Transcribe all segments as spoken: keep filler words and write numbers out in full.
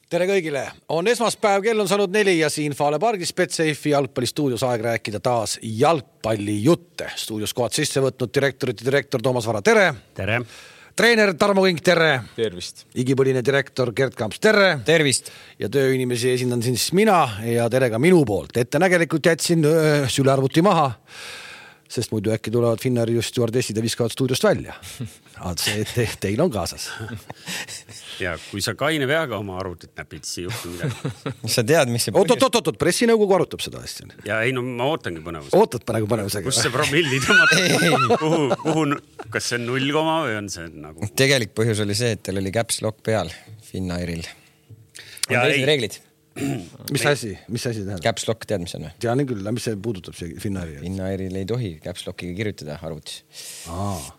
Tere kõigile! On esmaspäev, kell on saanud neli ja siin Fale Pargis Betsafe'i jalgpallistuudios aeg rääkida taas jalgpallijutte. Stuudios kohad sisse võtnud direktorit ja direktor Toomas Vara, tere! Tere! Treener Tarmo Kink, tere! Tervist! Igipõline direktor Gert Kamps, tere! Tervist! Ja tööinimesi esindan siin siis mina ja tere ka minu poolt. Ettenägelikult jätsin öö, sülearvuti maha, sest muidu äkki tulevad Finnari just stjuardessid ja viskavad stuudiost välja. See, te, teil on kaasas. Ja kui sa kaine veaga oma arvutit näpid, siis juhtu midagi. Sa tead, mis see põhjus... Oot, oot, oot, pressinõukogu arutab seda asja. Ja ei, no ma ootangi põnevus. Ootad praegu põnevusega. Kus see promilli tõmmata? kuhu, kuhu, kas see on null koma või on see nagu... Tegelik põhjus oli see, et teil oli caps lock peal Finnairil. On teised reeglid? Mis asi? Mis asi tähendab? Caps lock, tead, mis on? Tean küll, mis see puudutab see Finnairi? Finnairil ei tohi caps lockiga kirjutada arvutis. Aa.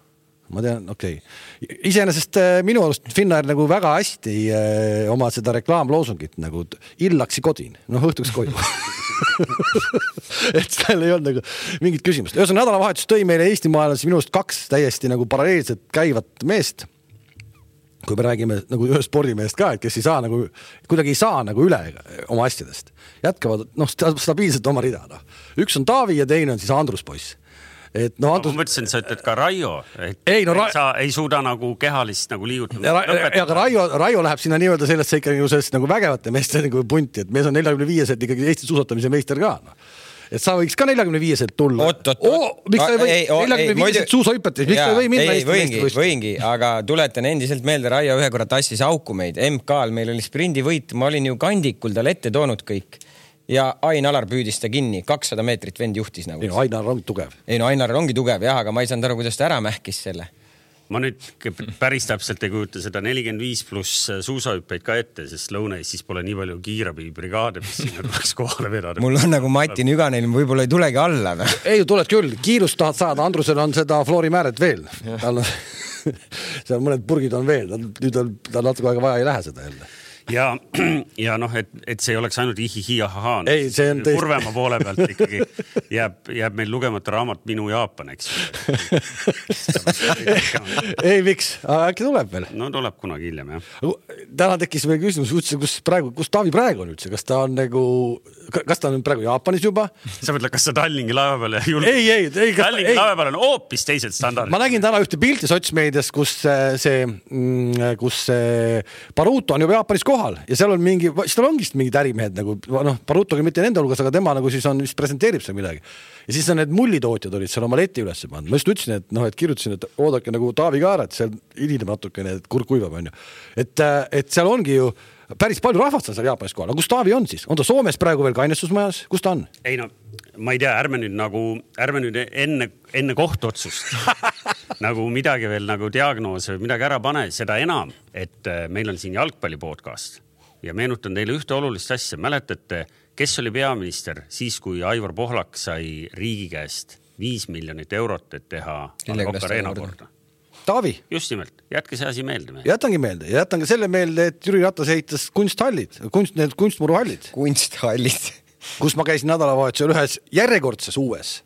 Ma tean, okei. Okay. Iseenesest minu arust Finnair nagu väga hästi eh, oma seda reklaamloosungit nagu illaksi kodin, noh õhtuks koju. Et seal ei olnud nagu mingit küsimust. Ühesõnaga nädalavahetus tõi meile Eesti maailmas minu arust kaks täiesti nagu paralleelset käivat meest. Kui me räägime nagu ühe spordimehest ka, et kes ei saa nagu, kuidagi ei saa nagu üle oma asjadest. Jätkavad noh, stabiilselt oma rida. No. Üks on Taavi ja teine on siis Andrus poiss. Et no, Andrus... Ma mõtlesin, sa ütled ka Raio, et ei, no, Ra... sa ei suuda nagu kehalist nagu liigutada. Ja, ja Raio, Raio läheb sinna nii-öelda sellesse ikkagi nagu vägevate meeste nagu punti, et mees on neljakümne viieselt ikkagi Eesti suusatamise meister ka. No. Et sa võiks ka neljakümne viieselt tulla. Oot, oot, oot. Miks sa ei või neljakümne viieselt suusahüpetes? Miks sa ei või minna Eesti võingi, võingi, aga tuletan endiselt meelde, Raio ühe korra tassis auku meid. M K-l meil oli sprindi võit, ma olin ju kandikul tal ette toonud kõik. Ja Ain Alar püüdis ta kinni, kakssada meetrit vend juhtis nagu. Ei no Ain Alar ongi tugev. Ei no Ain Alar ongi tugev, jah, aga ma ei saanud aru, kuidas ta ära mähkis selle. Ma nüüd päris täpselt ei kujuta seda nelikümmend viis pluss suusahüppeid ka ette, sest Lõuna-Eestis siis pole nii palju kiirabibrigaade, mis sinna tuleks kohale vedada. Mul on nagu Mati Nüganeil, võib-olla ei tulegi alla. No? Ei, tuled küll. Kiirust tahad saada. Andrusel on seda floorimääret veel. Tal on, seal mõned purgid on veel. Nüüd on tal natuke aega vaja ei lähe seda jälle. Ja, ja noh, et, et see ei oleks ainult ihihi ahahaa. Ei, see on tõesti... Kurvema poole pealt ikkagi jääb, jääb meil lugemata raamat Minu Jaapan, eks. ei, miks? Äkki tuleb veel? No tuleb kunagi hiljem, jah. Täna tekkis meil küsimus, kus, praegu, kus Taavi praegu on üldse? Kas ta on nagu... Kas ta on praegu Jaapanis juba? Sa mõtled, kas sa Tallingi laeva peale julge? Ei, ei, ei. Tallingi laeva peale on hoopis teised standardid. Ma nägin täna ühte pilti sotsmeedias, kus see, kus see Baruto on juba Jaapanis kohal ja seal on mingi, siis tal ongi mingid ärimehed nagu, noh, Barutoga mitte nende hulgas, aga tema nagu siis on, vist presenteerib seal midagi. Ja siis on need mullitootjad olid seal oma leti üles pannud. Ma just ütlesin, et noh, et kirjutasin, et oodake nagu Taavi Kaara, et seal ilineb natukene, et kurk kuivab on ju. Et, et seal ongi ju päris palju rahvast on seal Jaapanis kohal. Aga kus Taavi on siis? On ta Soomes praegu veel kainestusmajas? Kus ta on? Ei no, ma ei tea, ärme nüüd nagu, ärme nüüd enne, enne kohtuotsust nagu midagi veel nagu diagnoose või midagi ära pane, seda enam, et meil on siin jalgpalli podcast ja meenutan teile ühte olulist asja. Mäletate, kes oli peaminister siis, kui Aivar Pohlak sai riigi käest viis miljonit eurot, et teha Kokk Areena korda? Taavi. Just nimelt. Jätke see asi meelde. Me. Jätangi meelde. Jätan ka selle meelde, et Jüri Ratas ehitas kunsthallid, kunst, need kunstmuruhallid. Kunsthallid. Kus ma käisin nädalavahetusel ühes järjekordses uues.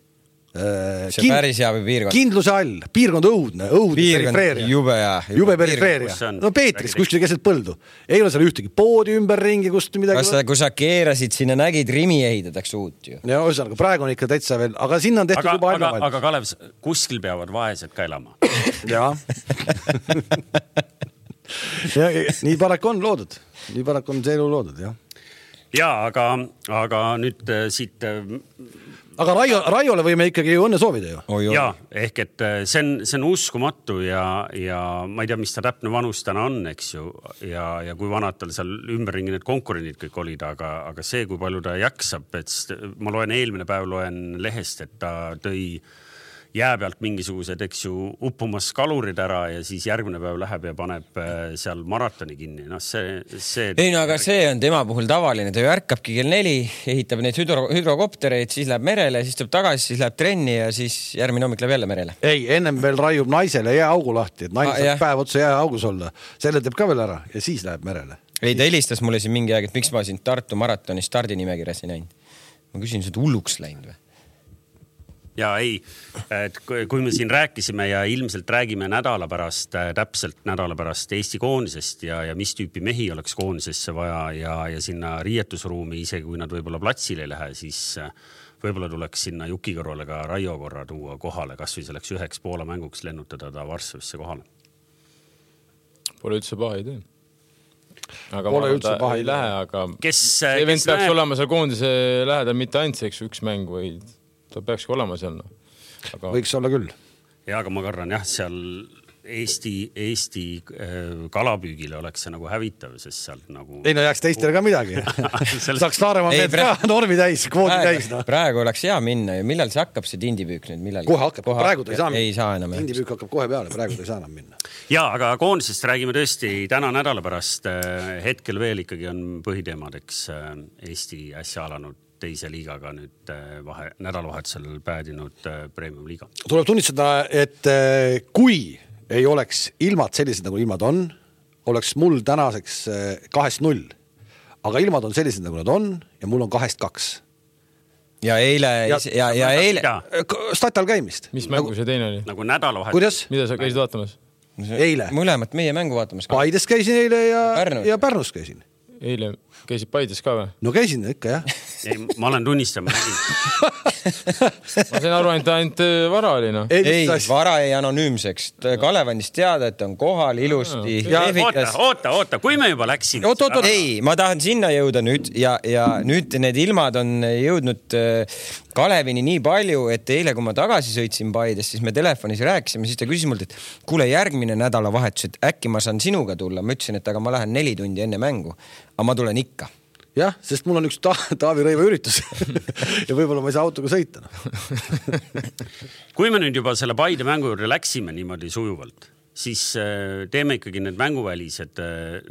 See kind, päris hea või piirkond? Kindluse all. Piirkond õudne. Õudne perifeeria. Jube ja. Jube perifeeria. No Peetris, kuskil keset põldu. Ei ole seal ühtegi poodi ümberringi, kust midagi... Kas sa, kui sa keerasid sinna, nägid, Rimi ehitatakse uut ju. Ja ühesõnaga, praegu on ikka täitsa veel, aga sinna on tehtud aga, juba aga, aina aga Kalev, kuskil peavad vaesed ka elama. Jaa. ja, nii paraku on loodud. Nii paraku on see elu loodud, jah. Jaa, aga, aga nüüd siit... Aga Raio, Raiole võime ikkagi ju õnne soovida ju. Oh, jaa, ehk et see on, see on uskumatu ja, ja ma ei tea, mis ta täpne vanus täna on, eks ju, ja, ja kui vanad tal seal ümberringi need konkurendid kõik olid, aga, aga see, kui palju ta jaksab, et ma loen eelmine päev loen lehest, et ta tõi jää pealt mingisugused, eks ju, uppumas kalurid ära ja siis järgmine päev läheb ja paneb seal maratoni kinni. No see, see... Ei no, aga see on tema puhul tavaline. Ta ju ärkabki kell neli, ehitab neid hüdro, hüdrokoptereid, siis läheb merele, siis tuleb tagasi, siis läheb trenni ja siis järgmine hommik läheb jälle merele. Ei, ennem veel raiub naisele jääaugu lahti, et naine ah, saab päev otsa jääaugus olla. Selle teeb ka veel ära ja siis läheb merele. Ei, ta helistas mulle siin mingi aeg, et miks ma siin Tartu maratoni stardi nimekirjas ei näinud. Ma küsin, seda hulluks läinud või? Ja ei, et kui me siin rääkisime ja ilmselt räägime nädala pärast, täpselt nädala pärast Eesti koondisest ja, ja mis tüüpi mehi oleks koondisesse vaja ja, ja sinna riietusruumi, isegi kui nad võib-olla platsile ei lähe, siis võib-olla tuleks sinna Juki kõrvale ka Raio korra tuua kohale, kas või selleks üheks Poola mänguks lennutada ta Varssavisse kohale. Pole üldse paha idee. Aga Pole ma üldse paha ei idee. lähe, aga kes, see vend kes peaks näeb... olema seal koondise lähedal mitte ainult see üks mäng või ta peakski olema seal. No. Aga... Võiks olla küll. Ja, aga ma kardan jah, seal Eesti, Eesti kalapüügile oleks see nagu hävitav, sest seal nagu... Ei no jääks teistele ka midagi. Saaks Laaremaa meelt pra... ka normi täis, kvoodi praegu, täis. No. Praegu oleks hea minna ja millal see hakkab see tindipüük nüüd? Millal... Kohe hakkab, kohe praegu ta ei saa minna. Ei saa enam. Tindipüük hakkab kohe peale, praegu ta ei saa enam minna. Ja, aga koondisest räägime tõesti täna nädala pärast. Hetkel veel ikkagi on põhiteemadeks Eesti äsja alanud teise liigaga nüüd vahe, nädalavahetusel päädinud Premium liiga. Tuleb tunnistada, et kui ei oleks ilmad sellised, nagu ilmad on, oleks mul tänaseks kahest null. Aga ilmad on sellised, nagu nad on ja mul on kahest kaks. Ja eile... Ja, ja, ja eile... Statal käimist. Mis mängu see teine oli? Nagu nädalavahetus. Kuidas? Mida sa käisid vaatamas? Eile. Mõlemat meie mängu vaatamas. Paides käisin eile ja Pärnus, ja Pärnus käisin. Eile käisid Paides ka või? No käisin ikka, jah. Ei, ma olen tunnistama. Ma sain aru, ainult, ainult Vara oli, no. Ei, ei Vara ei anonüümseks. Kalevandist teada, et on kohal ilusti. Ja, oota, oota, oota, kui me juba läksin. Oot, oot, oot. Ei, ma tahan sinna jõuda nüüd ja, ja nüüd need ilmad on jõudnud Kalevini nii palju, et eile, kui ma tagasi sõitsin Paides, siis me telefonis rääkisime, siis ta küsis mult, et kuule järgmine nädala vahetus, et äkki ma saan sinuga tulla. Ma ütlesin, et aga ma lähen neli tundi enne mängu, aga ma tulen ikka. Jah, sest mul on üks ta Taavi Rõiva üritus ja võib-olla ma ei saa autoga sõita. No. Kui me nüüd juba selle Paide mängu juurde läksime niimoodi sujuvalt, siis teeme ikkagi need mänguvälised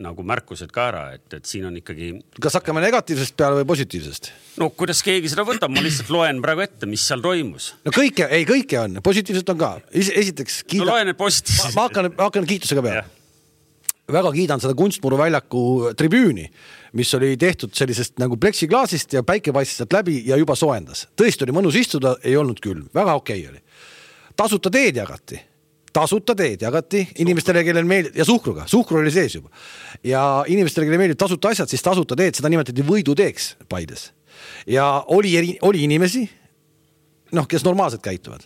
nagu märkused ka ära, et, et siin on ikkagi... Kas hakkame negatiivsest peale või positiivsest? No kuidas keegi seda võtab, ma lihtsalt loen praegu ette, mis seal toimus. No kõike, ei kõike on, positiivselt on ka. Esiteks kiida... No loen need positiivsed. Ma, ma, hakkan, ma hakkan kiitusega peale. Väga kiidan seda kunstmuru väljaku tribüüni, mis oli tehtud sellisest nagu pleksiklaasist ja päike paistis sealt läbi ja juba sooendas. Tõesti oli mõnus istuda, ei olnud külm. Väga okei oli. Tasuta teed jagati. Tasuta teed jagati inimestele, kellel meeldib, ja suhkruga. Suhkru oli sees juba. Ja inimestele, kellel meeldib tasuta asjad, siis tasuta teed, seda nimetati võiduteeks Paides. Ja oli, oli inimesi, noh, kes normaalselt käituvad,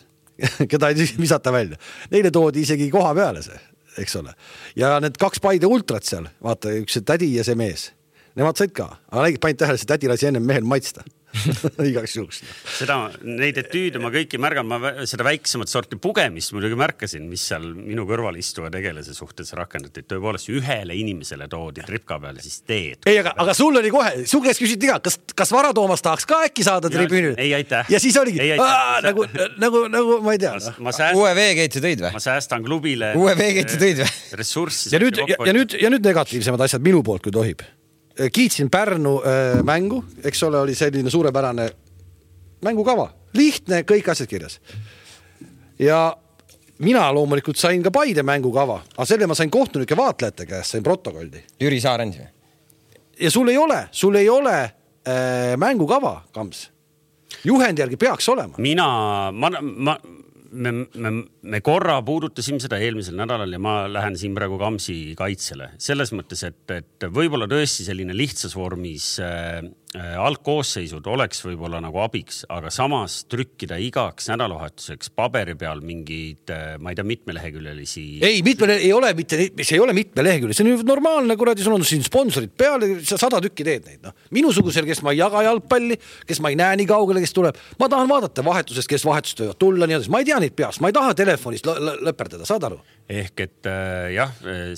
keda ei visata välja. Neile toodi isegi koha peale see, eks ole. Ja need kaks Paide ultrat seal, vaata, üks see tädi ja see mees. Nemad said ka, aga nägid paint tähele, see tädi lasi ennem mehel maitsta. Igaks juhuks. Seda, neid etüüde ma kõiki märgan, ma seda väiksemat sorti pugemist muidugi märkasin, mis seal minu kõrval istuva tegelase suhtes rakendati. Tõepoolest ühele inimesele toodi tripka peale siis teed. Ei, aga, aga sul oli kohe, su käest küsiti ka, kas, kas Vara Toomas tahaks ka äkki saada tribüünil? Ei, aitäh. Ja siis oligi, ei, aa, nagu, nagu, nagu, ma ei tea. Ma, ma sääst... Uue veekeitse tõid või? Ma säästan klubile Uue veekeitse tõid või? Ressurssi. Ja nüüd, ja, ja, nüüd, ja nüüd negatiivsemad asjad minu poolt, kui tohib. Kiitsin Pärnu äh, mängu, eks ole, oli selline suurepärane mängukava. Lihtne, kõik asjad kirjas. Ja mina loomulikult sain ka Paide mängukava, aga selle ma sain kohtunike vaatlejate käest, sain protokoldi. Jüri Saarens või? Ja sul ei ole, sul ei ole äh, mängukava, Kams. Juhendi järgi peaks olema. Mina, ma, ma, me, me, me korra puudutasime seda eelmisel nädalal ja ma lähen siin praegu Kamsi kaitsele. Selles mõttes, et, et võib-olla tõesti selline lihtsas vormis äh, algkoosseisud oleks võib-olla nagu abiks, aga samas trükkida igaks nädalavahetuseks paberi peal mingid, ma ei tea, mitmeleheküljelisi... Ei, mitme, ei ole mitte, see ei ole mitmelehekülje, see on normaalne, kuradi, sul on siin sponsorid peale, sada tükki teed neid. No. Minusugusel, kes ma ei jaga jalgpalli, kes ma ei näe nii kaugele, kes tuleb, ma tahan vaadata vahetusest, kes vahetust võivad tulla, nii, ma ei tea neid peast, ma ei taha telefonist lõperdada, saad aru? Ehk et äh, jah,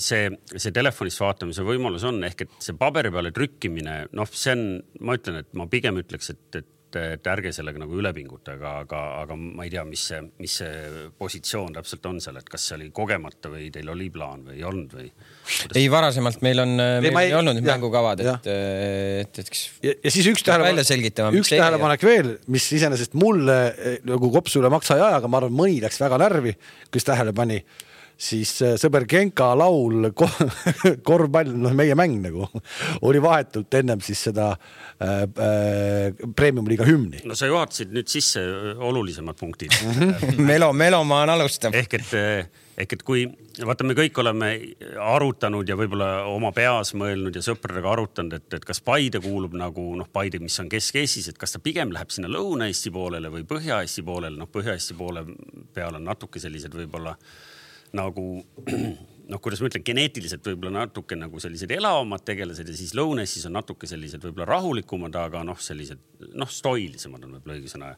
see, see telefonist vaatamise võimalus on, ehk et see paberi peale trükkimine, noh, see on, ma ütlen, et ma pigem ütleks, et, et, et ärge sellega nagu ülepinguta, aga, aga, aga ma ei tea, mis see, mis see positsioon täpselt on seal, et kas see oli kogemata või teil oli plaan või ei olnud või? Kuidas... Ei, varasemalt meil on meil ei, ei olnud mängukavad, et, et, et ja, ja siis üks tähelepanek, üks tähelepanek veel, mis iseenesest mulle nagu kopsu üle maksa ei aja, aga ma arvan, mõni läks väga närvi, kes tähele pani. siis sõber Genka laul korvpall, noh meie mäng nagu oli vahetult ennem siis seda äh, äh, Premium-liiga hümni. No sa juhatasid nüüd sisse olulisemad punktid. Melo, melomaan alustab. Ehk et, ehk et kui, vaata me kõik oleme arutanud ja võib-olla oma peas mõelnud ja sõpradega arutanud, et, et kas Paide kuulub nagu, noh Paide, mis on Kesk-Eestis, et kas ta pigem läheb sinna Lõuna-Eesti poolele või Põhja-Eesti poolele, noh Põhja-Eesti poole peal on natuke sellised võib-olla nagu, noh, kuidas ma ütlen, geneetiliselt võib-olla natuke nagu sellised elavamad tegelased ja siis Lõunestis on natuke sellised võib-olla rahulikumad, aga noh, sellised, noh, stoilisemad on võib-olla õige sõna.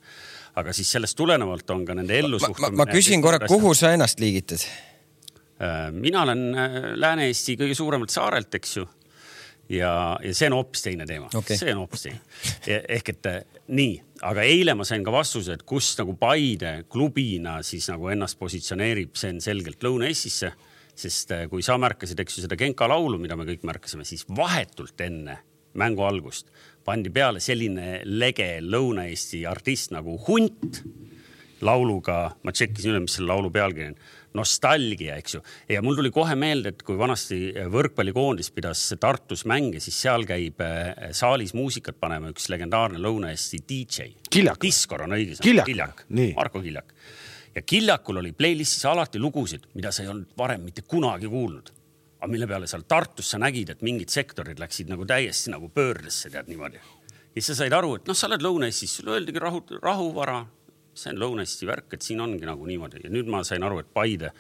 Aga siis sellest tulenevalt on ka nende ellusuhtumine. Ma, ma, ma küsin korra, kuhu sa ennast liigitad? Mina olen Lääne-Eesti kõige suuremalt saarelt, eks ju. Ja, ja see on hoopis teine teema. Okay. See on hoopis teine. Ehk et nii, aga eile ma sain ka vastuse, et kus nagu Paide klubina siis nagu ennast positsioneerib, see on selgelt Lõuna-Eestisse, sest kui sa märkasid, eks ju, seda Genka laulu, mida me kõik märkasime, siis vahetult enne mängu algust pandi peale selline lege Lõuna-Eesti artist nagu Hunt lauluga, ma tšekkisin üle, mis selle laulu pealkiri on, nostalgia, eks ju. Ja mul tuli kohe meelde, et kui vanasti võrkpallikoondis pidas Tartus mänge, siis seal käib saalis muusikat panema üks legendaarne Lõuna-Eesti D J. Kiljak. Diskor on õigus. Kiljak. Kiljak. Nii. Marko Kiljak. Ja Kiljakul oli playlistis alati lugusid, mida sa ei olnud varem mitte kunagi kuulnud. Aga mille peale seal Tartus sa nägid, et mingid sektorid läksid nagu täiesti nagu pöördesse, tead niimoodi. Ja sa said aru, et noh, sa oled Lõuna-Eestis, sulle öeldigi rahu, rahuvara, see on Lõuna-Eesti värk, et siin ongi nagu niimoodi. Ja nüüd ma sain aru, et Paide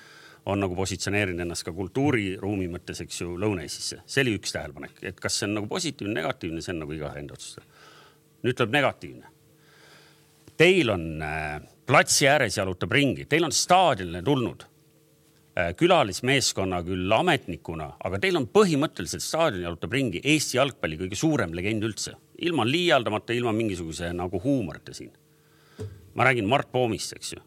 on nagu positsioneerinud ennast ka kultuuriruumi mõttes, eks ju, Lõuna-Eestisse. See oli üks tähelepanek, et kas see on nagu positiivne, negatiivne, see on nagu iga enda otsustada. Nüüd tuleb negatiivne. Teil on äh, platsi ääres jalutab ringi, teil on staadionile tulnud äh, külalismeeskonna küll ametnikuna, aga teil on põhimõtteliselt staadion jalutab ringi Eesti jalgpalli kõige suurem legend üldse. Ilma liialdamata, ilma mingisuguse nagu huumorite siin. Ma räägin Mart Poomist, eks ju.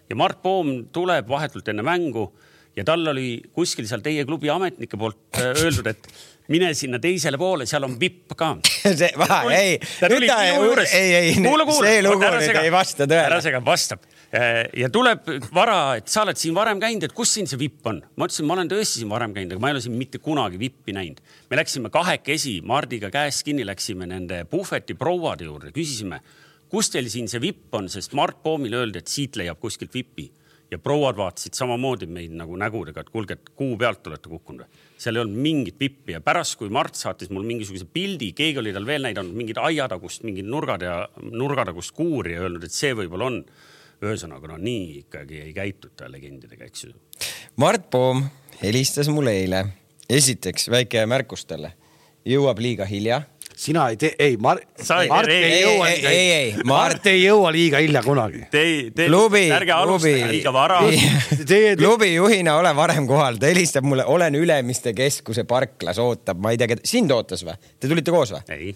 Ja Mart Poom tuleb vahetult enne mängu ja tal oli kuskil seal teie klubi ametnike poolt öeldud, et mine sinna teisele poole, seal on vipp ka. see, vaha, ei, nüüd ta ei, ei, ei, kuule, kuule, see lugu nüüd ei vasta tõele. Ära sega vastab. Ja tuleb vara, et sa oled siin varem käinud, et kus siin see vipp on? Ma ütlesin, ma olen tõesti siin varem käinud, aga ma ei ole siin mitte kunagi vippi näinud. Me läksime kahekesi, Mardiga käest kinni läksime nende puhveti prouade juurde, küsisime, kus teil siin see vipp on, sest Mart Poomil öeldi, et siit leiab kuskilt vippi. Ja prouad vaatasid samamoodi meid nagu nägudega, et kuulge, et kuu pealt olete kukkunud. Seal ei olnud mingit vippi ja pärast, kui Mart saatis mul mingisuguse pildi, keegi oli tal veel näidanud mingid aiatagust, mingid nurgad ja nurgatagust kuuri ja öelnud, et see võib-olla on. Ühesõnaga, no nii ikkagi ei käituta legendidega, eks ju. Mart Poom helistas mulle eile. Esiteks väike märkus talle. Jõuab liiga hilja. Sina ei tee, ei, Mar Sai, Mart ei, ei jõua ei, ei, ei, Mart... Mart ei jõua liiga hilja kunagi. Tei, te, klubi, ärge alustage liiga vara. Klubi juhina ole varem kohal. Ta helistab mulle, olen Ülemiste keskuse parklas, ootab, ma ei tea, sind ootas või? Te tulite koos või? Ei.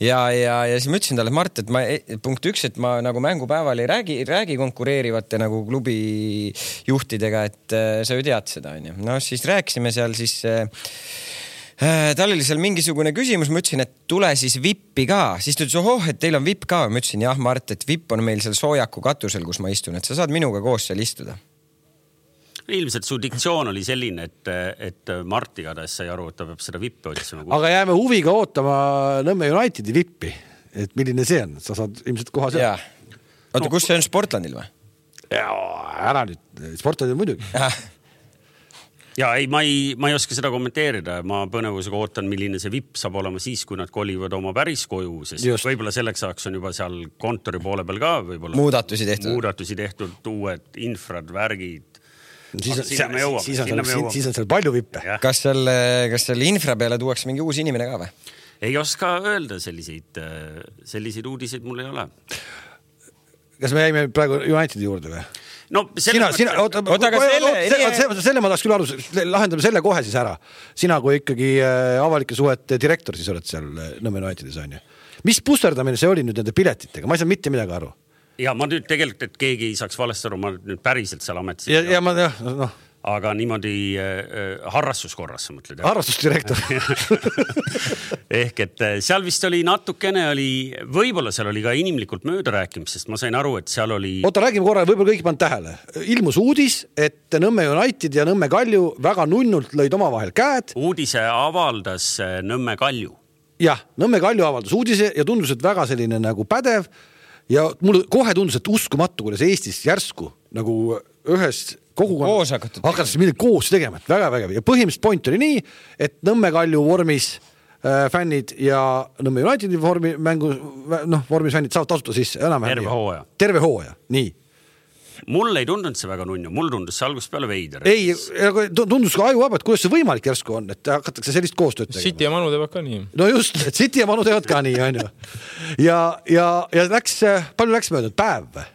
Ja, ja, ja siis ma ütlesin talle, et Mart, et ma, punkt üks, et ma nagu mängupäeval ei räägi, räägi konkureerivate nagu klubi juhtidega, et äh, sa ju tead seda, on ju. No siis rääkisime seal siis... Äh, Tal oli seal mingisugune küsimus, ma ütlesin, et tule siis vippi ka. Siis ta ütles, ohoh, et teil on vipp ka. Ma ütlesin, jah, Mart, et vipp on meil seal soojaku katusel, kus ma istun, et sa saad minuga koos seal istuda. Ilmselt su diktsioon oli selline, et, et Mart igatahes sai aru, et ta peab seda vippi otsima. Aga jääme huviga ootama Nõmme Unitedi vippi, et milline see on. Sa saad ilmselt koha seal. Oota, no, kus see on Sportlandil või? Ja, ära nüüd. Sportlandil muidugi. Ja ei, ma ei, ma ei oska seda kommenteerida. Ma põnevusega ootan, milline see vipp saab olema siis, kui nad kolivad oma päris koju, sest Just. Võib-olla selleks saaks on juba seal kontori poole peal ka võib-olla muudatusi tehtud, muudatusi tehtud, uued infrad, värgid. Siis on, see, jõuame, siis, on seal, siis, siis on seal palju vippe. Kas seal, kas seal infra peale tuuakse mingi uus inimene ka või? Ei oska öelda selliseid, selliseid uudiseid mul ei ole. Kas me jäime praegu Unitedi juurde või? No, sina, sina, oota, oota, oota, selle, selle, selle, selle ma tahaks küll aru, lahendame selle kohe siis ära. Sina kui ikkagi avalike suhete direktor siis oled seal Nõmme Unitedis on ju. Mis pusterdamine see oli nüüd nende piletitega? Ma ei saa mitte midagi aru. Ja ma nüüd tegelikult, et keegi ei saaks valesti aru, ma nüüd päriselt seal ametis. Ja, ja ma, jah, noh. aga niimoodi äh, harrastuskorras, sa mõtled? Harrastusdirektor. Ehk et seal vist oli natukene oli, võib-olla seal oli ka inimlikult mööda rääkimist, sest ma sain aru, et seal oli... Oota, räägime korra, võib-olla kõik pannud tähele. Ilmus uudis, et Nõmme United ja Nõmme Kalju väga nunnult lõid omavahel käed. Uudise avaldas Nõmme Kalju. Jah, Nõmme Kalju avaldas uudise ja tundus, et väga selline nagu pädev ja mulle kohe tundus, et uskumatu, kuidas Eestis järsku nagu ühes kogukond hakkas midagi koos tegema, et väga vägev. Ja põhimõtteliselt point oli nii, et Nõmme Kalju vormis äh, fännid ja Nõmme Unitedi vormi, mängu, noh, vormis fännid saavad tasuta siis enam terve hooaja. Terve hooaja, nii. Mul ei tundunud see väga nunnu, mul tundus see algusest peale veider. Ei, tundus ka aju vaba, et kuidas see võimalik järsku on, et hakatakse sellist koostööd tegema. City ja Manu teevad ka nii. No just, et City ja Manu teevad ka nii, on ju. Ja, ja, ja läks, palju läks möödud? Päev või?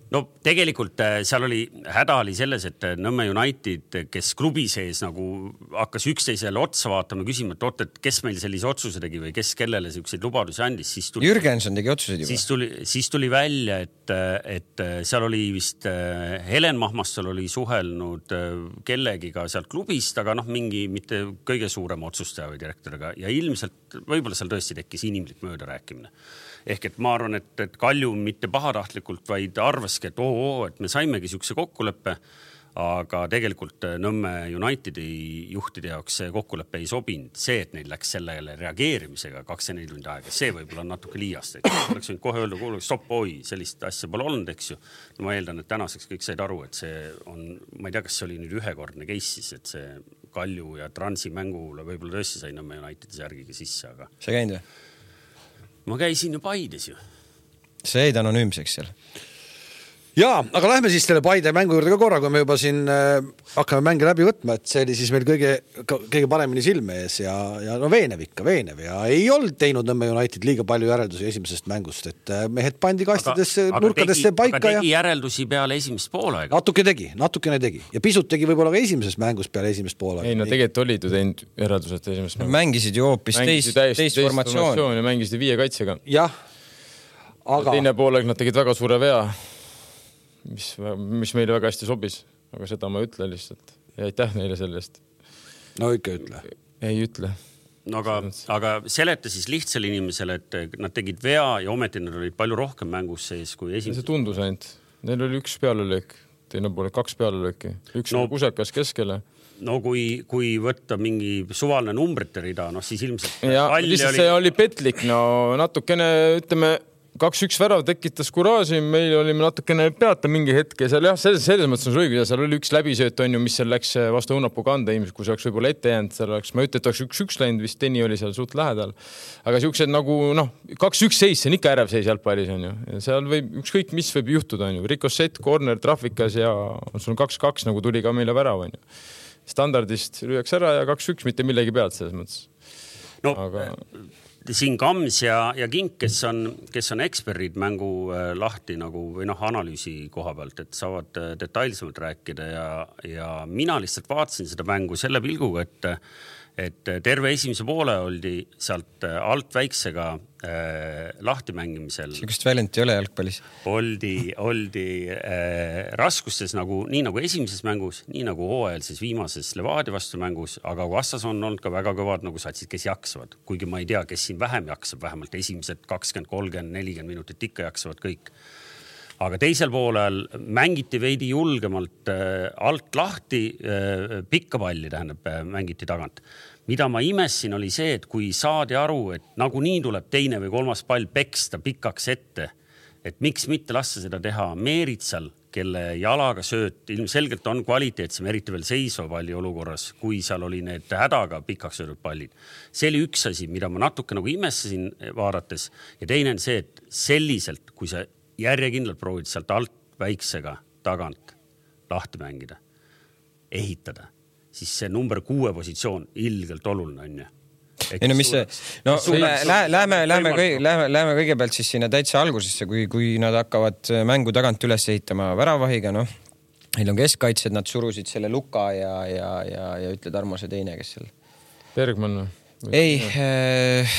No tegelikult seal oli, häda oli selles, et Nõmme United, kes klubi sees nagu hakkas üksteisele otsa vaatama, küsima, et oot, et kes meil sellise otsuse tegi või kes kellele selliseid lubadusi andis. Siis tuli, Jürgenson tegi otsuseid juba. Siis tuli, siis tuli välja, et, et seal oli vist Helen Mahmastal oli suhelnud kellegiga sealt klubist, aga noh, mingi mitte kõige suurem otsustaja või direktoriga ja ilmselt võib-olla seal tõesti tekkis inimlik mööda rääkimine. Ehk et ma arvan, et, et Kalju mitte pahatahtlikult, vaid arvaski, et oo, oo, et me saimegi siukse kokkuleppe, aga tegelikult Nõmme Unitedi juhtide jaoks see kokkulepe ei sobinud. See, et neil läks sellele reageerimisega kakskümmend neli tundi aega, see võib-olla on natuke liiast. Oleks võinud kohe öelda, kuule, stopp, oi, sellist asja pole olnud, eks ju. No ma eeldan, et tänaseks kõik said aru, et see on, ma ei tea, kas see oli nüüd ühekordne case siis, et see Kalju ja Transi mängule võib-olla tõesti sai Nõmme Unitedi järgiga sisse, aga... See käinud või? Ma käisin ju Paides ju. See jäid anonüümseks seal. Jaa, aga lähme siis selle Paide mängu juurde ka korra, kui me juba siin äh, hakkame mänge läbi võtma, et see oli siis meil kõige, kõige paremini silme ees ja, ja no veenev ikka, veenev ja ei olnud teinud Nõmme United liiga palju järeldusi esimesest mängust, et mehed pandi kastidesse, aga, nurkadesse tegi, paika. Aga tegi ja... järeldusi peale esimest poolaega. Natuke tegi, natukene tegi ja pisut tegi võib-olla ka esimesest mängust peale esimest poolaega. Ei, no tegelikult olid ju teinud järeldused esimest mängust. Mängisid ju hoopis teist, teist, teist formatsioon ja mängisid viie kaitsega. Jah, aga... Teine poolaeg nad tegid väga suure vea. Mis, mis meile väga hästi sobis, aga seda ma ütle lihtsalt ja aitäh neile sellest. No ikka ütle. Ei ütle. No aga, aga seleta siis lihtsale inimesele, et nad tegid vea ja ometi nad olid palju rohkem mängus sees kui esimene. See tundus ainult. Neil oli üks pealelöök, teine poole kaks pealelööki. Üks no, kusekas keskele. No kui, kui võtta mingi suvaline numbrite rida, noh siis ilmselt... Ja lihtsalt oli... see oli petlik, no natukene ütleme... Kaks-üks värav tekitas kuraaži, meil olime natukene peata mingi hetke. Seal, jah, selles, selles mõttes on õige, seal oli üks läbisööt, on ju, mis seal läks vastu Õunapuu kanda ilmselt, kui see oleks võib-olla ette jäänud. Seal oleks, ma ütlen, et oleks üks-üks läinud, vist Teni oli seal suht lähedal. Aga siuksed nagu, noh, kaks-üks seis, see on ikka ärev seis jalgpallis, on ju. Ja seal võib, ükskõik mis võib juhtuda, on ju. Rikossett, corner, trafikas ja sul on kaks-kaks, nagu tuli ka meile värav, on ju. Standardist lüüaks ära ja kaks-üks, mitte millegi pealt selles mõttes. No, aga... siin Kams ja, ja Kink, kes on, kes on eksperdid mängu äh, lahti nagu, või noh, analüüsi koha pealt, et saavad äh, detailsemalt rääkida ja, ja mina lihtsalt vaatasin seda mängu selle pilguga, et, et terve esimese poole oldi sealt alt väiksega äh, lahti mängimisel. Sükest väljent ei ole jalgpallis. Oldi, oldi äh, raskustes nagu, nii nagu esimeses mängus, nii nagu hooajalses viimases Levadia vastu mängus, aga vastas on olnud ka väga kõvad nagu satsid, kes jaksavad. Kuigi ma ei tea, kes siin vähem jaksab, vähemalt esimesed kakskümmend, kolmkümmend, nelikümmend minutit ikka jaksavad kõik. Aga teisel poolel mängiti veidi julgemalt äh, alt lahti, äh, pikka palli tähendab, äh, mängiti tagant. Mida ma imessin oli see, et kui saadi aru, et nagu nii tuleb teine või kolmas pall peksta pikaks ette, et miks mitte lasta seda teha Meeritsal, kelle jalaga sööt ilmselgelt on kvaliteetsem, eriti veel seisva palli olukorras, kui seal oli need hädaga pikaks söödud pallid. See oli üks asi, mida ma natuke nagu imestasin vaadates ja teine on see, et selliselt, kui sa järjekindlalt proovid sealt alt väiksega tagant lahti mängida, ehitada, siis see number kuue positsioon ilgelt oluline on ju. Ei no mis see, no lähme, lähme, lähme, lähme kõigepealt siis sinna täitsa algusesse, kui, kui nad hakkavad mängu tagant üles ehitama väravahiga, noh, neil on keskkaitsed, nad surusid selle Luka ja, ja, ja, ja ütle Tarmo see teine, kes seal. Bergman. ei, äh,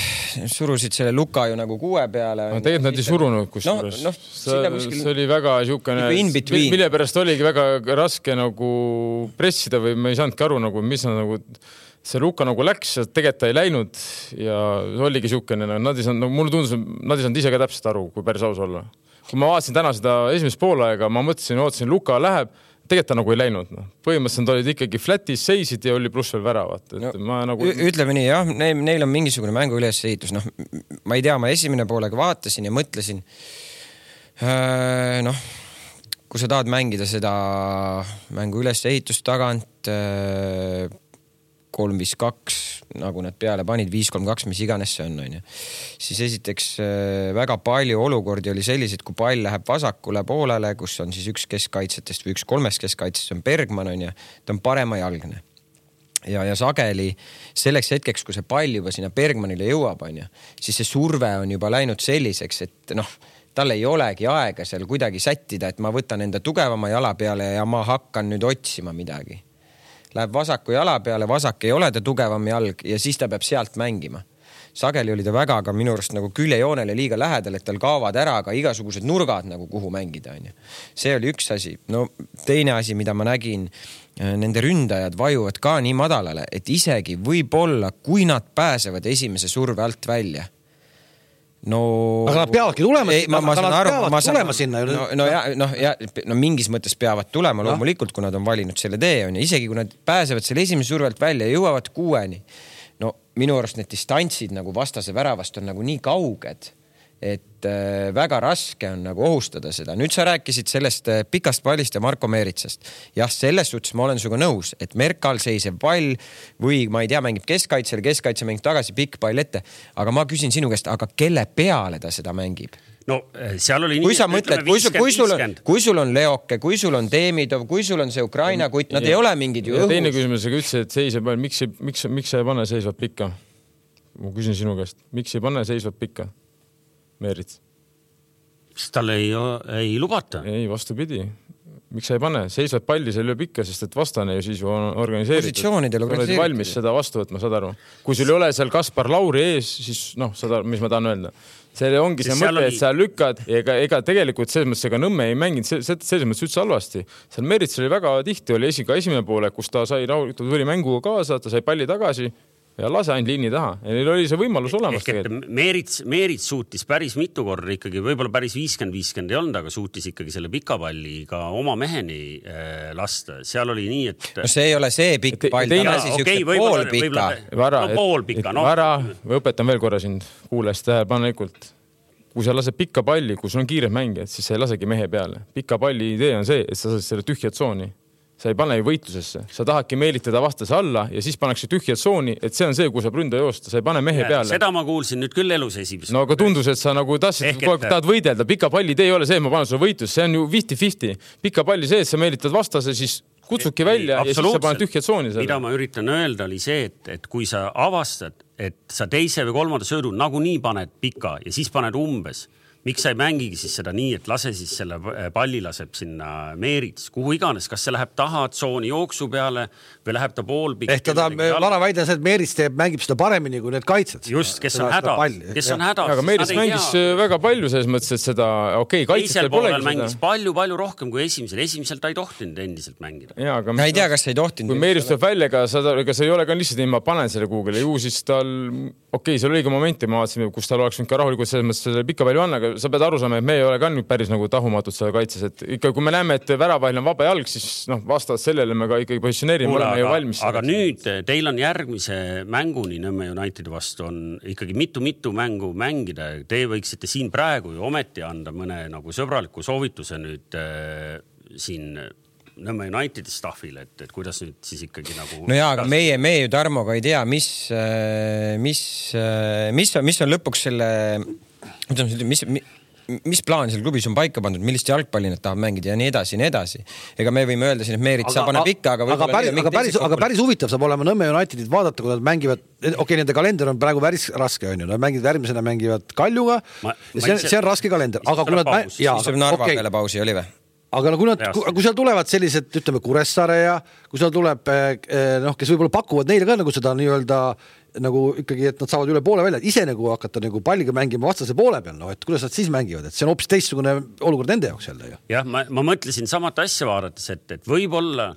surusid selle Luka ju nagu kuue peale. No, tegelikult nad ei surunud, kus no, no, see, kuskil... see oli väga siukene, mille pärast oligi väga raske nagu pressida või me ei saanudki aru, nagu, mis nad nagu, see Luka nagu läks, tegelikult ta ei läinud ja oligi siukene, nad ei saanud, nagu, mulle tundus, nad ei saanud ise ka täpselt aru, kui päris aus olla. Kui ma vaatasin täna seda esimest poolaega, ma mõtlesin, ootasin, Luka läheb, tegelikult ta nagu ei läinud. No. Põhimõtteliselt olid ikkagi flatis, seisid ja oli pluss veel väravat. Et no, ma nagu... Ütleme nii, jah, neil, neil on mingisugune mängu ülesehitus. No, ma ei tea, ma esimene poolega vaatasin ja mõtlesin, äh, noh, kui sa tahad mängida seda mängu ülesehitust tagant, äh, kolm viis kaks, nagu nad peale panid, viis kolm kaks, mis iganes see on, on ju. Siis esiteks väga palju olukordi oli sellised, kui pall läheb vasakule poolele, kus on siis üks keskkaitsetest või üks kolmest keskkaitsest on Bergman, on ju, ta on parema jalgne. Ja, ja sageli selleks hetkeks, kui see pall juba sinna Bergmanile jõuab, on ju, siis see surve on juba läinud selliseks, et noh, tal ei olegi aega seal kuidagi sättida, et ma võtan enda tugevama jala peale ja ma hakkan nüüd otsima midagi. Läheb vasaku jala peale, vasak ei ole ta tugevam jalg ja siis ta peab sealt mängima. Sageli oli ta väga ka minu arust nagu küljejoonele liiga lähedal, et tal kaovad ära ka igasugused nurgad nagu kuhu mängida. On ju. See oli üks asi. No teine asi, mida ma nägin, nende ründajad vajuvad ka nii madalale, et isegi võib-olla, kui nad pääsevad esimese surve alt välja, no aga nad peavadki tulema, ei, ma, ma aga nad aru, peavad ma tulema saan, sinna. No, no, ja, no, ja, no mingis mõttes peavad tulema loomulikult, kui nad on valinud selle tee. On, ja isegi kui nad pääsevad selle esimese survelt välja ja jõuavad kuueni, no minu arust need distantsid nagu vastase väravast on nagu nii kauged, et äh, väga raske on nagu ohustada seda. Nüüd sa rääkisid sellest äh, pikast pallist ja Marko Meeritsast. Jah, selles suhtes ma olen suga nõus, et Merkal seisev pall või ma ei tea, mängib keskkaitsel, keskkaitse mängib tagasi, pikk pall ette. Aga ma küsin sinu käest, aga kelle peale ta seda mängib? No seal oli kui nii, sa mõtled, kui, sul, kui, sul on, kui sul on Leoke, kui sul on Demidov, kui sul on see Ukraina kutt, nad ja, ei ole mingid ju õhus. Teine küsimus, aga ütlesid, et seiseb pall, miks, miks, miks sa ei pane seisvat pikka? Ma küsin sinu käest, miks ei pane seisvat pikka? Meerits. Tal ei, ei lubata. Ei, vastupidi. Miks sa ei pane? Seisvad palli see lööb ikka, sest et vastane ju siis on organiseeritud. Positsioonidel organiseeritud. Oled valmis seda vastu võtma, saad aru. Kui sul ei ole seal Kaspar Lauri ees, siis noh, saad aru, mis ma tahan öelda. See ongi see mõte, oli... et sa lükkad ega, ega tegelikult selles mõttes ega Nõmme ei mänginud selles mõttes üldse halvasti. Seal Meerits oli väga tihti, oli esi, ka esimene poole, kus ta sai ta tuli mänguga kaasa, ta sai palli tagasi ja lase ainult liini taha. Ja neil oli see võimalus olemas. Ehk, et Meerits, Meerits suutis päris mitu korda ikkagi, võib-olla päris viiskümmend viiskümmend ei olnud, aga suutis ikkagi selle pika palli ka oma meheni äh, lasta. Seal oli nii, et... No see ei ole see pikk pall, ta lasi okay, pool pika. Vara, no pool pika. No. Vara, või õpetan veel korra sind, kuules tähelepanelikult. Kui sa lased pikka palli, kui sul on kiired mängijad, siis sa ei lasegi mehe peale. Pika palli idee on see, et sa saad selle tühja tsooni. Sa ei pane ju võitlusesse. Sa tahadki meelitada vastase alla ja siis pannakse tühja tsooni, et see on see, kui sa ründa joosta. Sa ei pane mehe ja, peale. Seda ma kuulsin nüüd küll elus esimest. No aga tundus, et sa nagu tahtsid, et... tahad võidelda. Pika palli idee ei ole see, et ma panen sulle võitlus. See on ju viiskümmend viiskümmend. Pika palli see, et sa meelitad vastase, siis kutsudki välja ja siis sa paned tühja tsooni. Mida ma üritan öelda oli see, et, et kui sa avastad, et sa teise või kolmanda söödu nagu nii paned pika ja siis paned umbes, miks sa ei mängigi siis seda nii, et lase siis selle palli laseb sinna Meerits, kuhu iganes, kas see läheb taha tsooni jooksu peale või läheb ta pool pikk. Ehk ta Vara väide on see, et Meerits teeb, mängib seda paremini kui need kaitsed. Just, kes on häda. Kes on häda. Aga Meerits mängis hea... väga palju selles mõttes, et seda, okei, okay, kaitsel polegi seda. Mängis palju, palju rohkem kui esimesel. Esimesel ta ei tohtinud endiselt mängida. Ja, aga ma ei tea, kas ei tohtinud. Kui Meerits tuleb välja, ega see ei ole ka lihtsalt, et ma panen selle Google'i. Ju siis tal, okei, okay, seal oli ka momenti, ma vaatasin, kus tal oleks ka rahulikult selles mõttes selle pika palju anna, aga sa pead aru saama, et me ei ole ka nüüd päris nagu tahumatud selle kaitses, et ikka kui me näeme, et väravahil on vaba jalg, siis noh, vastavad sellele me ka ikkagi positsioneerime, oleme ju valmis. Aga nüüd teil on järgmise mänguni Nõmme Unitedi vastu on ikkagi mitu-mitu mängu mängida. Te võiksite siin praegu ju ometi anda mõne nagu sõbraliku soovituse nüüd äh, siin Nõmme Unitedi staffile, et, et kuidas nüüd siis ikkagi nagu... No jaa, aga meie, meie ju Tarmoga ei tea, mis, mis, mis, on, mis on lõpuks selle... Mis, mis plaan seal klubis on paika pandud, millist jalgpalli nad tahab mängida ja nii edasi, nii edasi. Ega me võime öelda siin, et Meerits saab panna pikka, aga... Aga päris, aga, päris, aga päris huvitav saab olema Nõmme Unitedit vaadata, kui nad mängivad... Okei, okay, nende kalender on praegu päris raske, on ju. Nad mängivad järgmisena mängivad Kaljuga. Ma, ja see, on, see on raske kalender. Aga kui nad... Jaa, mis Narva okay. peale pausi oli või? aga no, kui, nad, kui, kui seal tulevad sellised, ütleme, Kuressaare ja kui seal tuleb, noh, kes võib-olla pakuvad neile ka nagu seda nii-öelda nagu ikkagi, et nad saavad üle poole välja, ise nagu hakata nagu palliga mängima vastase poole peal, no, et kuidas nad siis mängivad, et see on hoopis teistsugune olukord nende jaoks jälle ju. Jah, ma, ma mõtlesin samat asja vaadates, et, et võib-olla,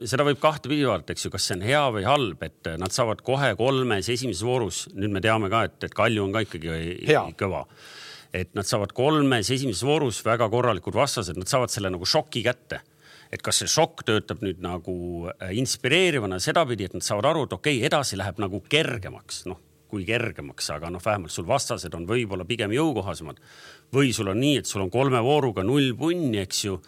seda võib kahte pidi vaadata, eks ju, kas see on hea või halb, et nad saavad kohe kolmes esimeses voorus, nüüd me teame ka, et, et Kalju on ka ikkagi hea. Kõva. Et nad saavad kolmes esimeses voorus väga korralikud vastased, nad saavad selle nagu šoki kätte. Et kas see šokk töötab nüüd nagu inspireerivana sedapidi, et nad saavad aru, et okei, edasi läheb nagu kergemaks, noh, kui kergemaks, aga noh, vähemalt sul vastased on võib-olla pigem jõukohasemad. Või sul on nii, et sul on kolme vooruga null punni, eks ju,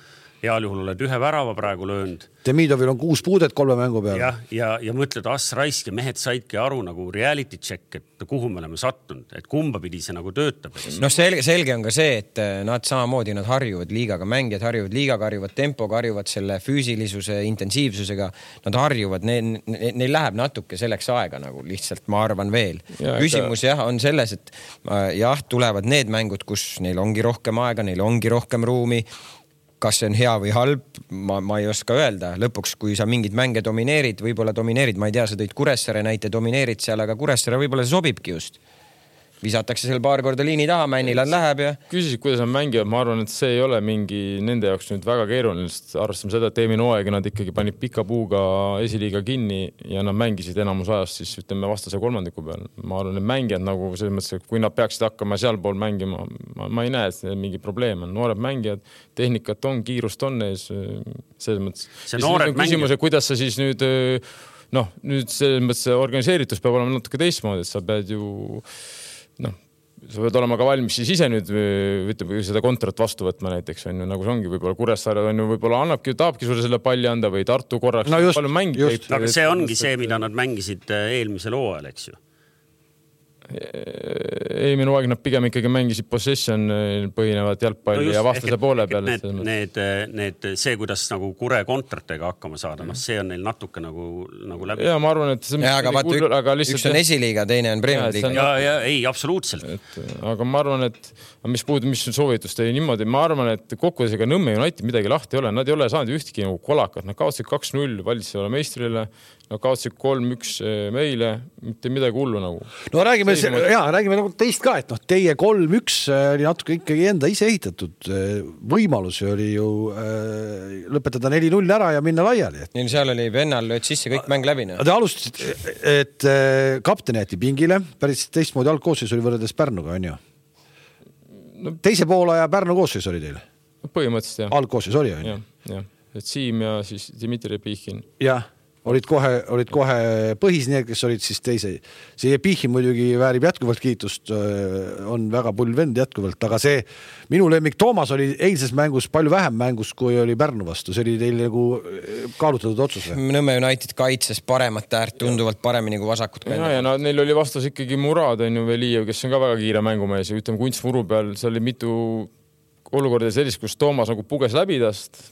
heal juhul oled ühe värava praegu löönud. Demidovil on kuus puudet kolme mängu peal. Ja, ja, ja mõtled, as raisk ja mehed saidki aru nagu reality check, et kuhu me oleme sattunud, et kumba pidi see nagu töötab. No selge, selge on ka see, et nad samamoodi nad harjuvad liigaga, mängijad harjuvad liigaga, harjuvad tempoga, harjuvad selle füüsilisuse, intensiivsusega. Nad harjuvad, neil, neil läheb natuke selleks aega nagu lihtsalt, ma arvan veel. Ja, küsimus jah, on selles, et jah, tulevad need mängud, kus neil ongi rohkem aega, neil ongi rohkem ruumi. Kas see on hea või halb, ma, ma ei oska öelda. Lõpuks, kui sa mingid mänge domineerid, võib-olla domineerid, ma ei tea, sa tõid Kuressaare näite, domineerid seal, aga Kuressaare võib-olla see sobibki just. Visatakse seal paar korda liini taha, Männilad läheb ja... Küsisid, kuidas nad mängivad, ma arvan, et see ei ole mingi nende jaoks nüüd väga keeruline, sest arvestame seda, et eelmine hooaeg nad ikkagi panid pika puuga esiliiga kinni ja nad mängisid enamus ajast siis ütleme vastase kolmandiku peal. Ma arvan, et mängijad nagu selles mõttes, et kui nad peaksid hakkama sealpool mängima, ma, ma ei näe, et see mingi probleem on. Noored mängijad, tehnikat on, kiirust on ees, selles mõttes. See noored küsimus, kuidas sa siis nüüd, noh, nüüd selles mõttes organiseeritus peab olema natuke teistmoodi, et sa pead ju noh, sa võid olema ka valmis siis ise nüüd ütleme, seda kontrat vastu võtma näiteks on ju, nagu see ongi võib-olla Kuressaare on ju võib-olla annabki, tahabki sulle selle palli anda või Tartu korraks no just, palju mängib. Aga see ongi see, mida nad mängisid eelmisel hooajal, eks ju. Eelmine hooaeg nad pigem ikkagi mängisid possession põhinevat jalgpalli no ja vastase poole peal. Need, need, need, see, kuidas nagu Kure kontratega hakkama saada, noh, see on neil natuke nagu, nagu läbi. Ja ma arvan, et see ja, aga vaata, ük, aga lihtsalt üks on esiliiga, teine on Premier League. Ja, ja, ei, absoluutselt. Et, aga ma arvan, et mis puudub, mis soovitus teile niimoodi, ma arvan, et kokkudesega Nõmme United midagi lahti ei ole, nad ei ole saanud ühtki nagu kolakat, nad kaotsid kaks null valitsevale meistrile, nad kaotsid kolm üks meile, mitte midagi hullu nagu. No räägime, jaa, räägime nagu teist ka, et noh, teie kolm üks oli natuke ikkagi enda ise ehitatud võimalusi oli ju äh, lõpetada neli null ära ja minna laiali. Neil seal oli Vennal lööd sisse kõik mäng läbi. No. Te alustasid, et äh, kapten jäeti pingile, päris teistmoodi algkoosseis oli võrreldes Pärnuga, on ju? No, teise poolaja Pärnu koosseis oli teil? Põhimõtteliselt, jah. Algkoosseis oli, on ju? Jah, jah. Et Siim ja siis Dmitri Pihhin. Jah. Olid kohe, olid kohe põhis need, kes olid siis teise. See Pihhin muidugi väärib jätkuvalt kiitust, on väga pull vend jätkuvalt, aga see minu lemmik Toomas oli eilses mängus palju vähem mängus, kui oli Pärnu vastu. See oli teil nagu kaalutatud otsus. Nõmme United kaitses paremat äärt tunduvalt paremini kui vasakut. Ja, ja no, neil oli vastas ikkagi Murad, on ju Velijev, kes on ka väga kiire mängumees ja ütleme kunstmuru peal, seal oli mitu olukorda sellist, kus Toomas nagu puges läbi tast.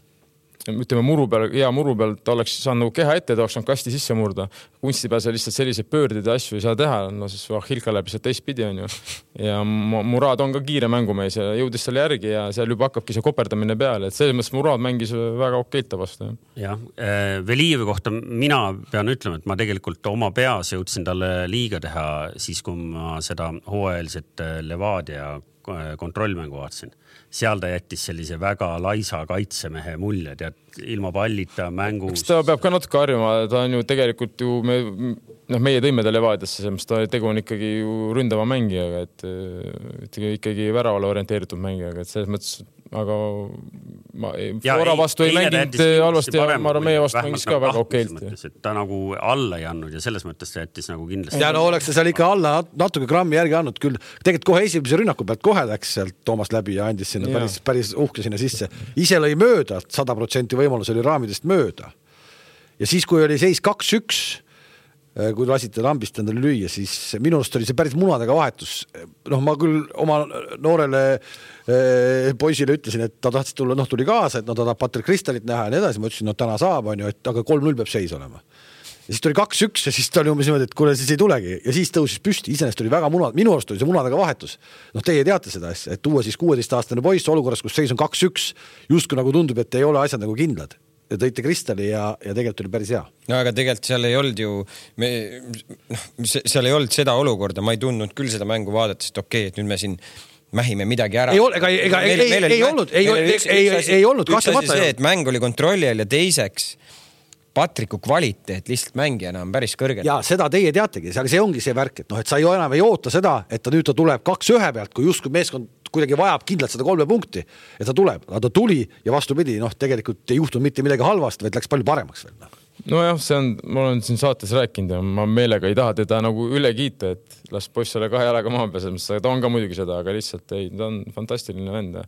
Ütleme muru peal, hea muru peal, ta oleks saanud nagu keha ette, ta oleks saanud kasti sisse murda. Kunsti peal see lihtsalt selliseid pöördid ja asju ei saa teha, no siis Hilka läbi see teistpidi on ju. Ja Murad on ka kiire mängumees ja jõudis selle järgi ja seal juba hakkabki see koperdamine peale, et selles mõttes Murad mängis väga okeita vastu. Jah, Velijevi kohta mina pean ütlema, et ma tegelikult oma peas jõudsin talle liiga teha siis, kui ma seda hooajalset Levadia kontrollmängu vaatasin. Seal ta jättis sellise väga laisa kaitsemehe mulje, tead, ilma pallita mängus. Ta peab ka natuke harjuma, ta on ju tegelikult ju, me, noh, meie tõime ta Levadiasse, sest ta tegu on ikkagi ju ründava mängijaga, et, et ikkagi väravale orienteeritud mängijaga, et selles mõttes, aga ma, Flora vastu ei mänginud halvasti ja ma arvan, meie vastu mängis ka väga okeilt. Ta nagu alla ei andnud ja selles mõttes ta jättis nagu kindlasti. Ja no oleks ta seal ikka alla natuke grammi järgi andnud küll. Tegelikult kohe esimese rünnaku pealt kohe läks sealt Toomas läbi ja andis sinna päris, päris uhke sinna sisse. Ise lõi mööda, sada protsenti võimalus oli raamidest mööda. Ja siis, kui oli seis kaks üks, kui lasite lambist endale lüüa, siis minust oli see päris munadega vahetus. Noh, ma küll oma noorele eh, poisile ütlesin, et ta tahtsid tulla, noh, tuli kaasa, et no ta tahab Patrick Kristalit näha ja nii edasi. Ma ütlesin, no täna saab, on ju, et aga kolm null peab seis olema. ja siis tuli kaks üks ja siis ta oli umbes niimoodi, et kuule, siis ei tulegi ja siis tõusis püsti, iseenesest oli väga munad, minu arust oli see munadega vahetus. Noh, teie teate seda asja, et tuua siis kuueteistaastane poiss olukorras, kus seis on kaks üks, justkui nagu tundub, et ei ole asjad nagu kindlad. Ja tõite kristalli ja, ja tegelikult oli päris hea. No aga tegelikult seal ei olnud ju, me, noh, seal ei olnud seda olukorda, ma ei tundnud küll seda mängu vaadates, et okei, et nüüd me siin mähime midagi ära. Ei, ega, ega, meil, ei, meil ei, ei olnud, ei, üks, ei, üks asi, ei olnud. Üks asi see, et mäng oli kontrolli all ja teiseks Patriku kvaliteet lihtsalt mängijana on päris kõrgel. Ja seda teie teategi, see ongi see värk, et noh, et sa ei enam ei oota seda, et ta nüüd ta tuleb kaks ühe pealt, kui justkui meeskond kuidagi vajab kindlalt seda kolme punkti, et ta tuleb, aga ta tuli ja vastupidi, noh, tegelikult ei juhtunud mitte midagi halvast, vaid läks palju paremaks veel. Nojah, see on, ma olen siin saates rääkinud ja ma meelega ei taha teda nagu üle kiita, et las poiss ole kahe jalaga maha pääsemas, ta on ka muidugi seda, aga lihtsalt ei, ta on fantastiline vend.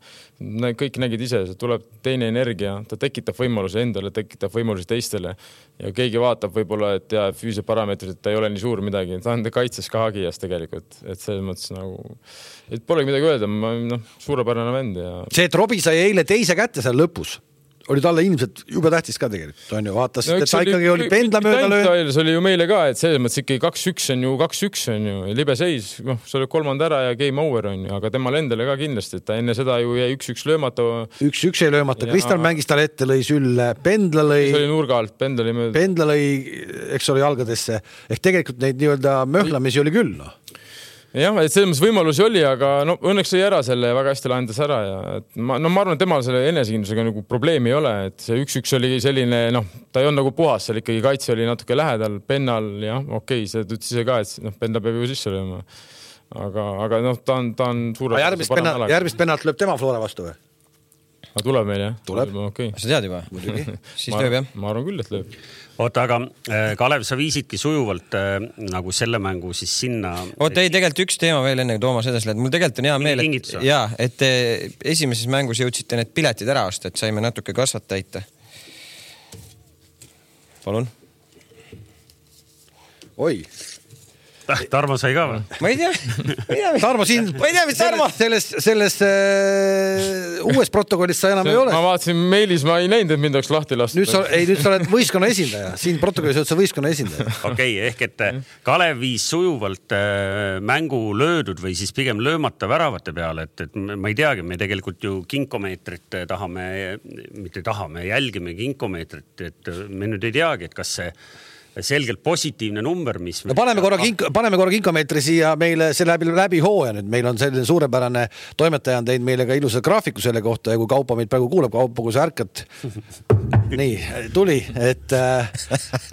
Kõik nägid ise, see tuleb teine energia, ta tekitab võimaluse endale, tekitab võimaluse teistele ja keegi vaatab võib-olla, et ja füüsise parameetrid, et ta ei ole nii suur midagi, ta on kaitses ka hagijas tegelikult, et selles mõttes nagu, et polegi midagi öelda, ma, noh, suurepärane vend ja... See, et Robi sai eile teise kätte seal lõpus, oli talle ilmselt jube tähtis ka tegelikult, on ju, vaatas, no, et ta ikkagi oli pendla mööda lööd. See oli ju meile ka, et selles mõttes ikkagi kaks üks on ju kaks üks on ju, libe seis, noh, see oli kolmand ära ja game over on ju, aga temal endale ka kindlasti, et ta enne seda ju jäi üks üks löömata. üks üks ei löömata, ja... Kristal mängis talle ette, lõi sülle, pendla lõi... See oli nurga alt, pendla oli mööda. Pendla lõi, eks oli jalgadesse, ehk tegelikult neid nii-öelda möhlamisi oli küll, noh. Jah, et selles mõttes võimalusi oli, aga no, õnneks oli ära selle ja väga hästi lahendas ära ja et ma, no, ma arvan, et temal selle enesekindlusega nagu probleemi ei ole, et see üks üks oli selline, noh, ta ei olnud nagu puhas, seal ikkagi kaitse oli natuke lähedal, pennal, jah, okei, see ütles ise ka, et noh, penna peab ju sisse lööma. Aga, aga noh, ta on, ta on suure... Järgmist, penna, järgmist pennalt lööb tema Flora vastu või? Aga tuleb meil, jah? Tuleb. Okay. Sa tead juba? Muidugi. Siis lööb, jah? Ma arvan küll, et lööb. Oota, aga Kalev, sa viisidki sujuvalt äh, nagu selle mängu siis sinna... Oota, ei, tegelikult üks teema veel enne, kui Toomas edasi lähed. Mul tegelikult on hea meel, et, jaa, et te esimeses mängus jõudsite need piletid ära osta, et saime natuke kasvat täita. Palun. Oi. Tarmo sai ka või? Ma ei tea. Tarmo siin, ma ei tea, mis Tarmo. Selles, selles äh, uues protokollis sa enam see, ei ole. Ma vaatasin meilis, ma ei näinud, et mind oleks lahti lastud. Nüüd sa, ei, nüüd sa oled võistkonna esindaja. Siin protokollis oled sa võistkonna esindaja. Okei, okay, ehk et Kalev viis sujuvalt äh, mängu löödud või siis pigem löömata väravate peale, et, et ma ei teagi, me tegelikult ju kinkomeetrit tahame, mitte tahame, jälgime kinkomeetrit, et me nüüd ei teagi, et kas see selgelt positiivne number, mis... No paneme korra, kink, paneme korra kinkomeetri siia meile see läbi, läbi hooja nüüd. Meil on selline suurepärane toimetaja on teinud meile ka ilusa graafiku selle kohta ja kui Kaupo meid praegu kuuleb, Kaupo, kui sa ärkad. Nii, tuli, et äh,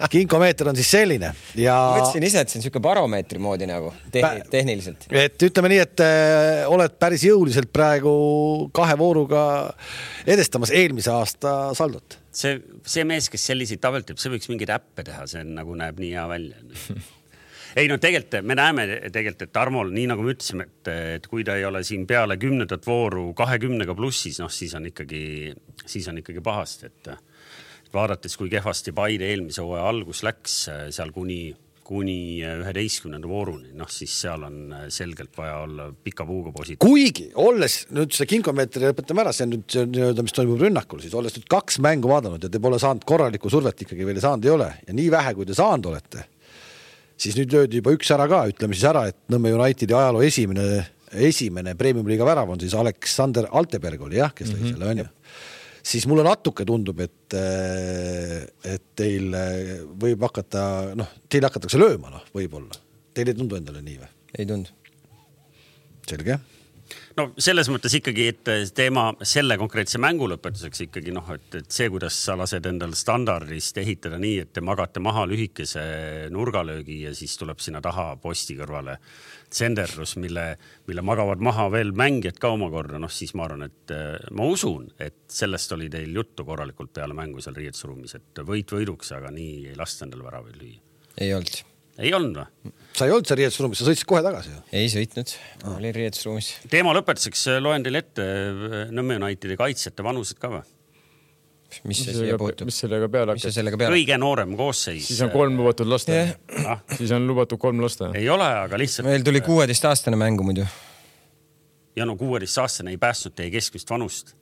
kinkomeeter on siis selline. Ja... Mõtlesin ise, et see on siuke baromeetri moodi nagu tehn- tehniliselt. Et ütleme nii, et äh, oled päris jõuliselt praegu kahe vooruga edestamas eelmise aasta saldot. See, see mees, kes selliseid tabelt teeb, see võiks mingeid äppe teha, see nagu näeb nii hea välja. Ei, no tegelikult me näeme tegelikult, et Tarmol, nii nagu me ütlesime, et, et kui ta ei ole siin peale kümnendat vooru kahekümnega plussis, noh, siis on ikkagi, siis on ikkagi pahast, et, et vaadates, kui kehvasti Paide eelmise hooaja algus läks seal kuni, kuni üheteistkümnenda vooruni, noh, siis seal on selgelt vaja olla pika puuga positiivne. Kuigi, olles nüüd see kinkomeetri lõpetame ära, see on nüüd see, mis toimub rünnakul, siis olles nüüd kaks mängu vaadanud ja te pole saanud korralikku survet ikkagi veel saanud ei ole ja nii vähe, kui te saanud olete, siis nüüd löödi juba üks ära ka, ütleme siis ära, et Nõmme Unitedi ajaloo esimene, esimene Premium-liiga värav on siis Aleksander Alteberg oli, jah, kes lõi mm-hmm. selle on ju. Siis mulle natuke tundub, et, et teil võib hakata, noh, teil hakatakse lööma, noh, võib-olla. Teil ei tundu endale nii või? Ei tundu. Selge. No selles mõttes ikkagi, et teema selle konkreetse mängu lõpetuseks ikkagi, noh, et, et see, kuidas sa lased endal standardist ehitada nii, et te magate maha lühikese nurgalöögi ja siis tuleb sinna taha posti kõrvale tsenderlus, mille, mille magavad maha veel mängijad ka omakorda, noh siis ma arvan, et ma usun, et sellest oli teil juttu korralikult peale mängu seal riietusruumis, et võit võiduks, aga nii ei lasta endale väravaid lüüa. Ei olnud. Ei olnud või? Sa ei olnud seal riietusruumis, sa sõitsid kohe tagasi. Ei sõitnud, ah. Oli riietusruumis. Teema lõpetuseks loen teile ette Nõmme Unitedi kaitsjate vanused ka või? Mis see siia puutub? Mis sellega peale hakkab? Kõige noorem koosseis. Siis on kolm lubatud lasta. Ah. Siis on lubatud kolm lasta. Ei ole, aga lihtsalt... Meil tuli kuueteistaastane mängu muidu. Ja no kuueteistaastane ei päästnud teie keskmist vanust.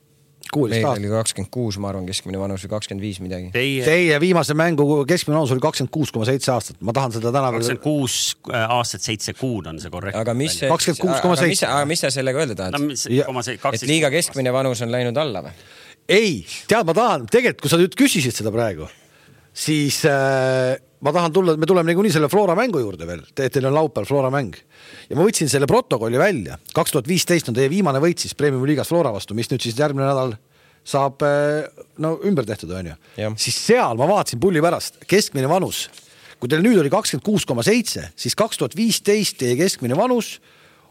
meil oli kakskümmend kuus, ma arvan, keskmine vanus või kakskümmend viis midagi. Teie, Teie viimase mängu keskmine vanus oli kakskümmend kuus koma seitse aastat. Ma tahan seda täna kakskümmend kuus aastat, seitse kuud on see korrekt. Aga mis, kakskümmend kuus koma seitse. Aga mis sa sellega öelda tahad? No, et liiga keskmine vanus on läinud alla või? Ei, tead, ma tahan, tegelikult kui sa nüüd küsisid seda praegu, siis äh, ma tahan tulla, me tuleme nii selle Flora mängu juurde veel. Teil on laupäeval Flora mäng. Ja ma võtsin selle protokolli välja. kaks tuhat viisteist on teie viimane võit siis Premium liigas Flora vastu, mis nüüd siis järgmine nädal saab no, ümber tehtud, on ju. Ja. Siis seal ma vaatasin pulli pärast keskmine vanus. Kui teil nüüd oli kakskümmend kuus koma seitse, siis kaks tuhat viisteist teie keskmine vanus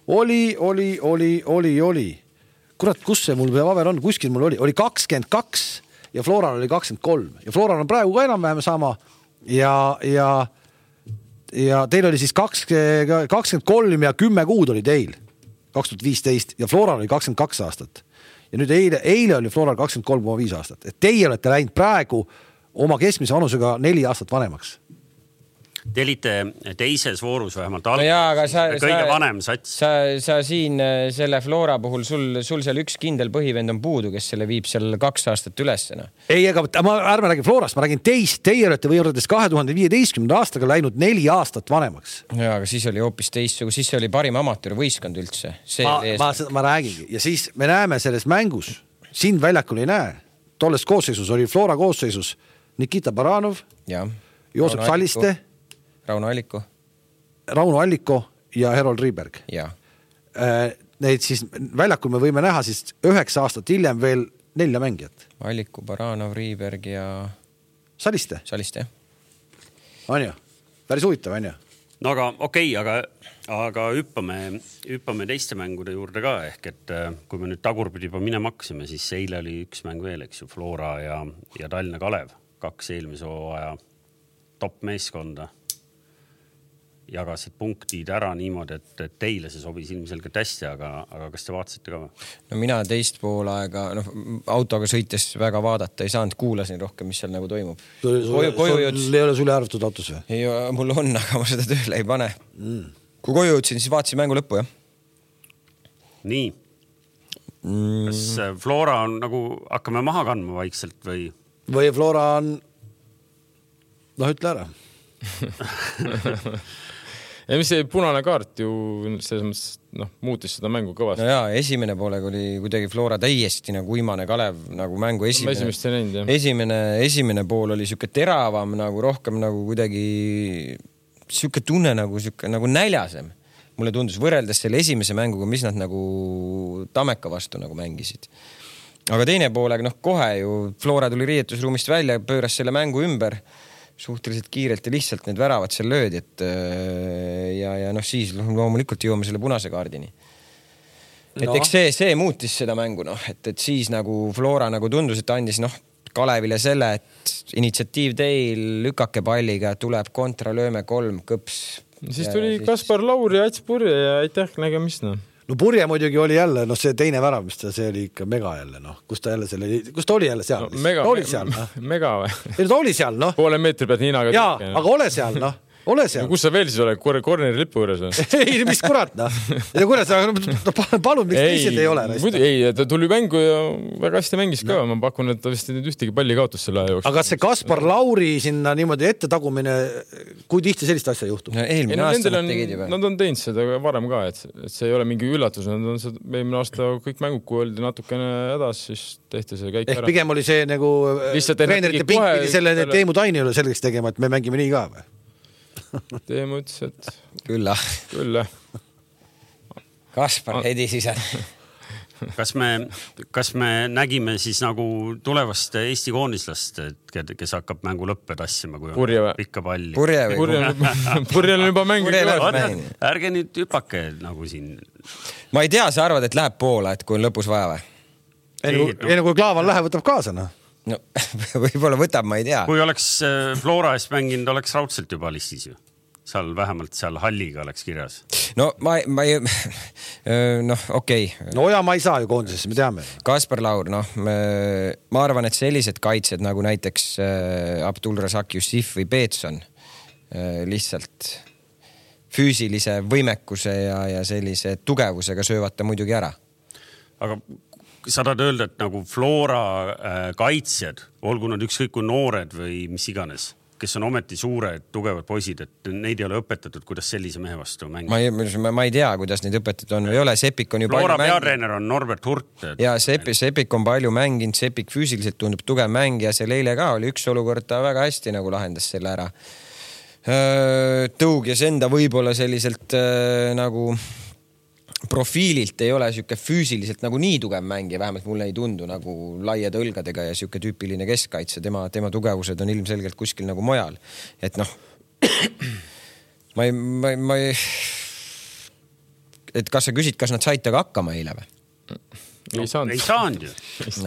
oli, oli, oli, oli, oli. Kurat, kus see mul paber on? Kuskil mul oli, oli kakskümmend kaks ja Floral oli kakskümmend kolm. Ja Floral on praegu ka enam-vähem sama ja, ja, ja teil oli siis kakskümmend kolm ja kümme kuud oli teil kaks tuhat viisteist ja Floral oli kakskümmend kaks aastat. Ja nüüd eile, eile oli Floral kakskümmend kolm koma viis aastat. Et teie olete läinud praegu oma keskmise vanusega neli aastat vanemaks. Te olite teises voorus vähemalt no jaa, aga sa, kõige sa, vanem sats. Sa, sa siin selle Flora puhul, sul, sul seal üks kindel põhivend on puudu, kes selle viib seal kaks aastat ülesena. Ei, aga ma ärme räägin Florast, ma räägin teist. Teie olete võrreldes kahe tuhande viieteistkümnenda aastaga läinud neli aastat vanemaks. Jaa, aga siis oli hoopis teistsugune, siis oli parim amatöörvõistkond üldse. See ma, ma, ma räägingi. Ja siis me näeme selles mängus, sind väljakul ei näe. Tolles koosseisus oli Flora koosseisus Nikita Baranov, ja. Joosep Rauno Saliste, Alliko. Rauno Alliko. Rauno Alliko ja Herold Riiberg. Ja. Neid siis väljakul me võime näha siis üheksa aastat hiljem veel nelja mängijat. Alliko, Baranov, Riiberg ja... Saliste. Saliste. On ju? Päris huvitav, on ju? No aga okei, okay, aga, aga hüppame, hüppame teiste mängude juurde ka. Ehk et kui me nüüd tagurpidi juba minema hakkasime, siis eile oli üks mäng veel, eks ju, Flora ja, ja Tallinna Kalev. Kaks eelmise hooaja top meeskonda. Jagasid punktid ära niimoodi, et, et teile see sobis ilmselgelt hästi, aga, aga kas te vaatasite ka või? No mina teist pool aega, noh, autoga sõites väga vaadata ei saanud, kuulasin rohkem, mis seal nagu toimub. Koju, koju jõudis... Sul ei ole sulle arvatud autos või? Ei, mul on, aga ma seda tööle ei pane. Mm. Kui koju jõudsin, siis vaatasin mängu lõppu, jah. Nii. Mm. Kas Flora on nagu, hakkame maha kandma vaikselt või? Või Flora on, noh, ütle ära. Ja mis see punane kaart ju selles mõttes, noh, muutis seda mängu kõvasti. No jaa, esimene poolega oli kuidagi Flora täiesti nagu uimane Kalev, nagu mängu esimene, näinud, esimene, esimene pool oli siuke teravam, nagu rohkem nagu kuidagi siuke tunne nagu, siuke, nagu näljasem. Mulle tundus võrreldes selle esimese mänguga, mis nad nagu Tammeka vastu nagu mängisid. Aga teine poolega, noh, kohe ju Flora tuli riietusruumist välja, pööras selle mängu ümber suhteliselt kiirelt ja lihtsalt need väravad seal löödi, et ja, ja noh, siis loomulikult jõuame selle punase kaardini. Et no. eks see, see muutis seda mängu, noh, et, et siis nagu Flora nagu tundus, et andis, noh, Kalevile selle, et initsiatiiv teil, lükake palliga, tuleb kontra, lööme kolm, kõps. Siis tuli siis... Kaspar Lauri ja Ats Purje ja aitäh nägemist, noh. No Purje muidugi oli jälle, noh, see teine värav, mis ta, see oli ikka mega jälle, noh, kus ta jälle selle, kus ta oli jälle seal? No, mega, ta oli seal, noh. Mega või? Ei, ta oli seal, noh. Poole meetri pealt Hiinaga. Jaa, aga ole seal, noh. Ole seal. No, kus sa veel siis ole? Korneri lipu juures või? Ei, mis kurat, noh. Ja kurat, palun, miks teised ei ole? Muidu, ei, ta tuli mängu ja väga hästi mängis ka. No. Ma pakun, et ta vist nüüd ühtegi palli kaotus selle aja jooksul. Aga see Kaspar Lauri sinna niimoodi ette tagumine, kui tihti sellist asja juhtub? No, eelmine no, aasta nad tegid juba. Nad on teinud seda varem ka, et, et see ei ole mingi üllatus. Nad on seda, eelmine aasta kõik mängud, kui oldi natukene hädas, siis tehti see käik ära. Ehk pigem oli see nagu treenerite pink pidi selle Teemu Taini üle selgeks tegema, et me mängime nii ka või? Teemu ütles, et külla. Külla. Kaspar Hedi sisad. Kas me, kas me nägime siis nagu tulevast Eesti koondislast, kes hakkab mängu lõppe tassima, kui Purje on pikka palli? Purje või? Purje on juba mängid. Ärge nüüd hüpake nagu siin. Ma ei tea, sa arvad, et läheb poola, et kui on lõpus vaja või? Enne kui Klaavan läheb, võtab kaasa, noh. No, võib-olla võtab, ma ei tea. Kui oleks Flora eest mänginud, oleks raudselt juba listis ju. Seal vähemalt seal halliga oleks kirjas. No ma, ma ei... Noh, okei. Okay. No ja ma ei saa ju koondisesse, me teame. Kaspar Laur, noh, ma arvan, et sellised kaitsed nagu näiteks Abdul Razak Jussif või Peetson lihtsalt füüsilise võimekuse ja, ja sellise tugevusega söövata muidugi ära. Aga sa tahad öelda, et nagu Flora äh, kaitsjad, olgu nad ükskõik kui noored või mis iganes, kes on ometi suured, tugevad poisid, et neid ei ole õpetatud, kuidas sellise mehe vastu mängida. Ma ei, ma ei tea, kuidas neid õpetatud on või ole. Sepik on ju Flora palju peatreener on Norbert Hurt. Et... Ja Sepik, Sepik on palju mänginud, Sepik füüsiliselt tundub tugev mängija, see eile ka oli üks olukord, ta väga hästi nagu lahendas selle ära. Tõug ja Senda võib-olla selliselt äh, nagu profiililt ei ole siuke füüsiliselt nagu nii tugev mängija, vähemalt mulle ei tundu nagu laiade õlgadega ja siuke tüüpiline keskkaitse, tema, tema tugevused on ilmselgelt kuskil nagu mujal. Et noh, ma ei, ma ei, ma ei, et kas sa küsid, kas nad said taga hakkama eile või? No, ei saanud. Ei saanud ju.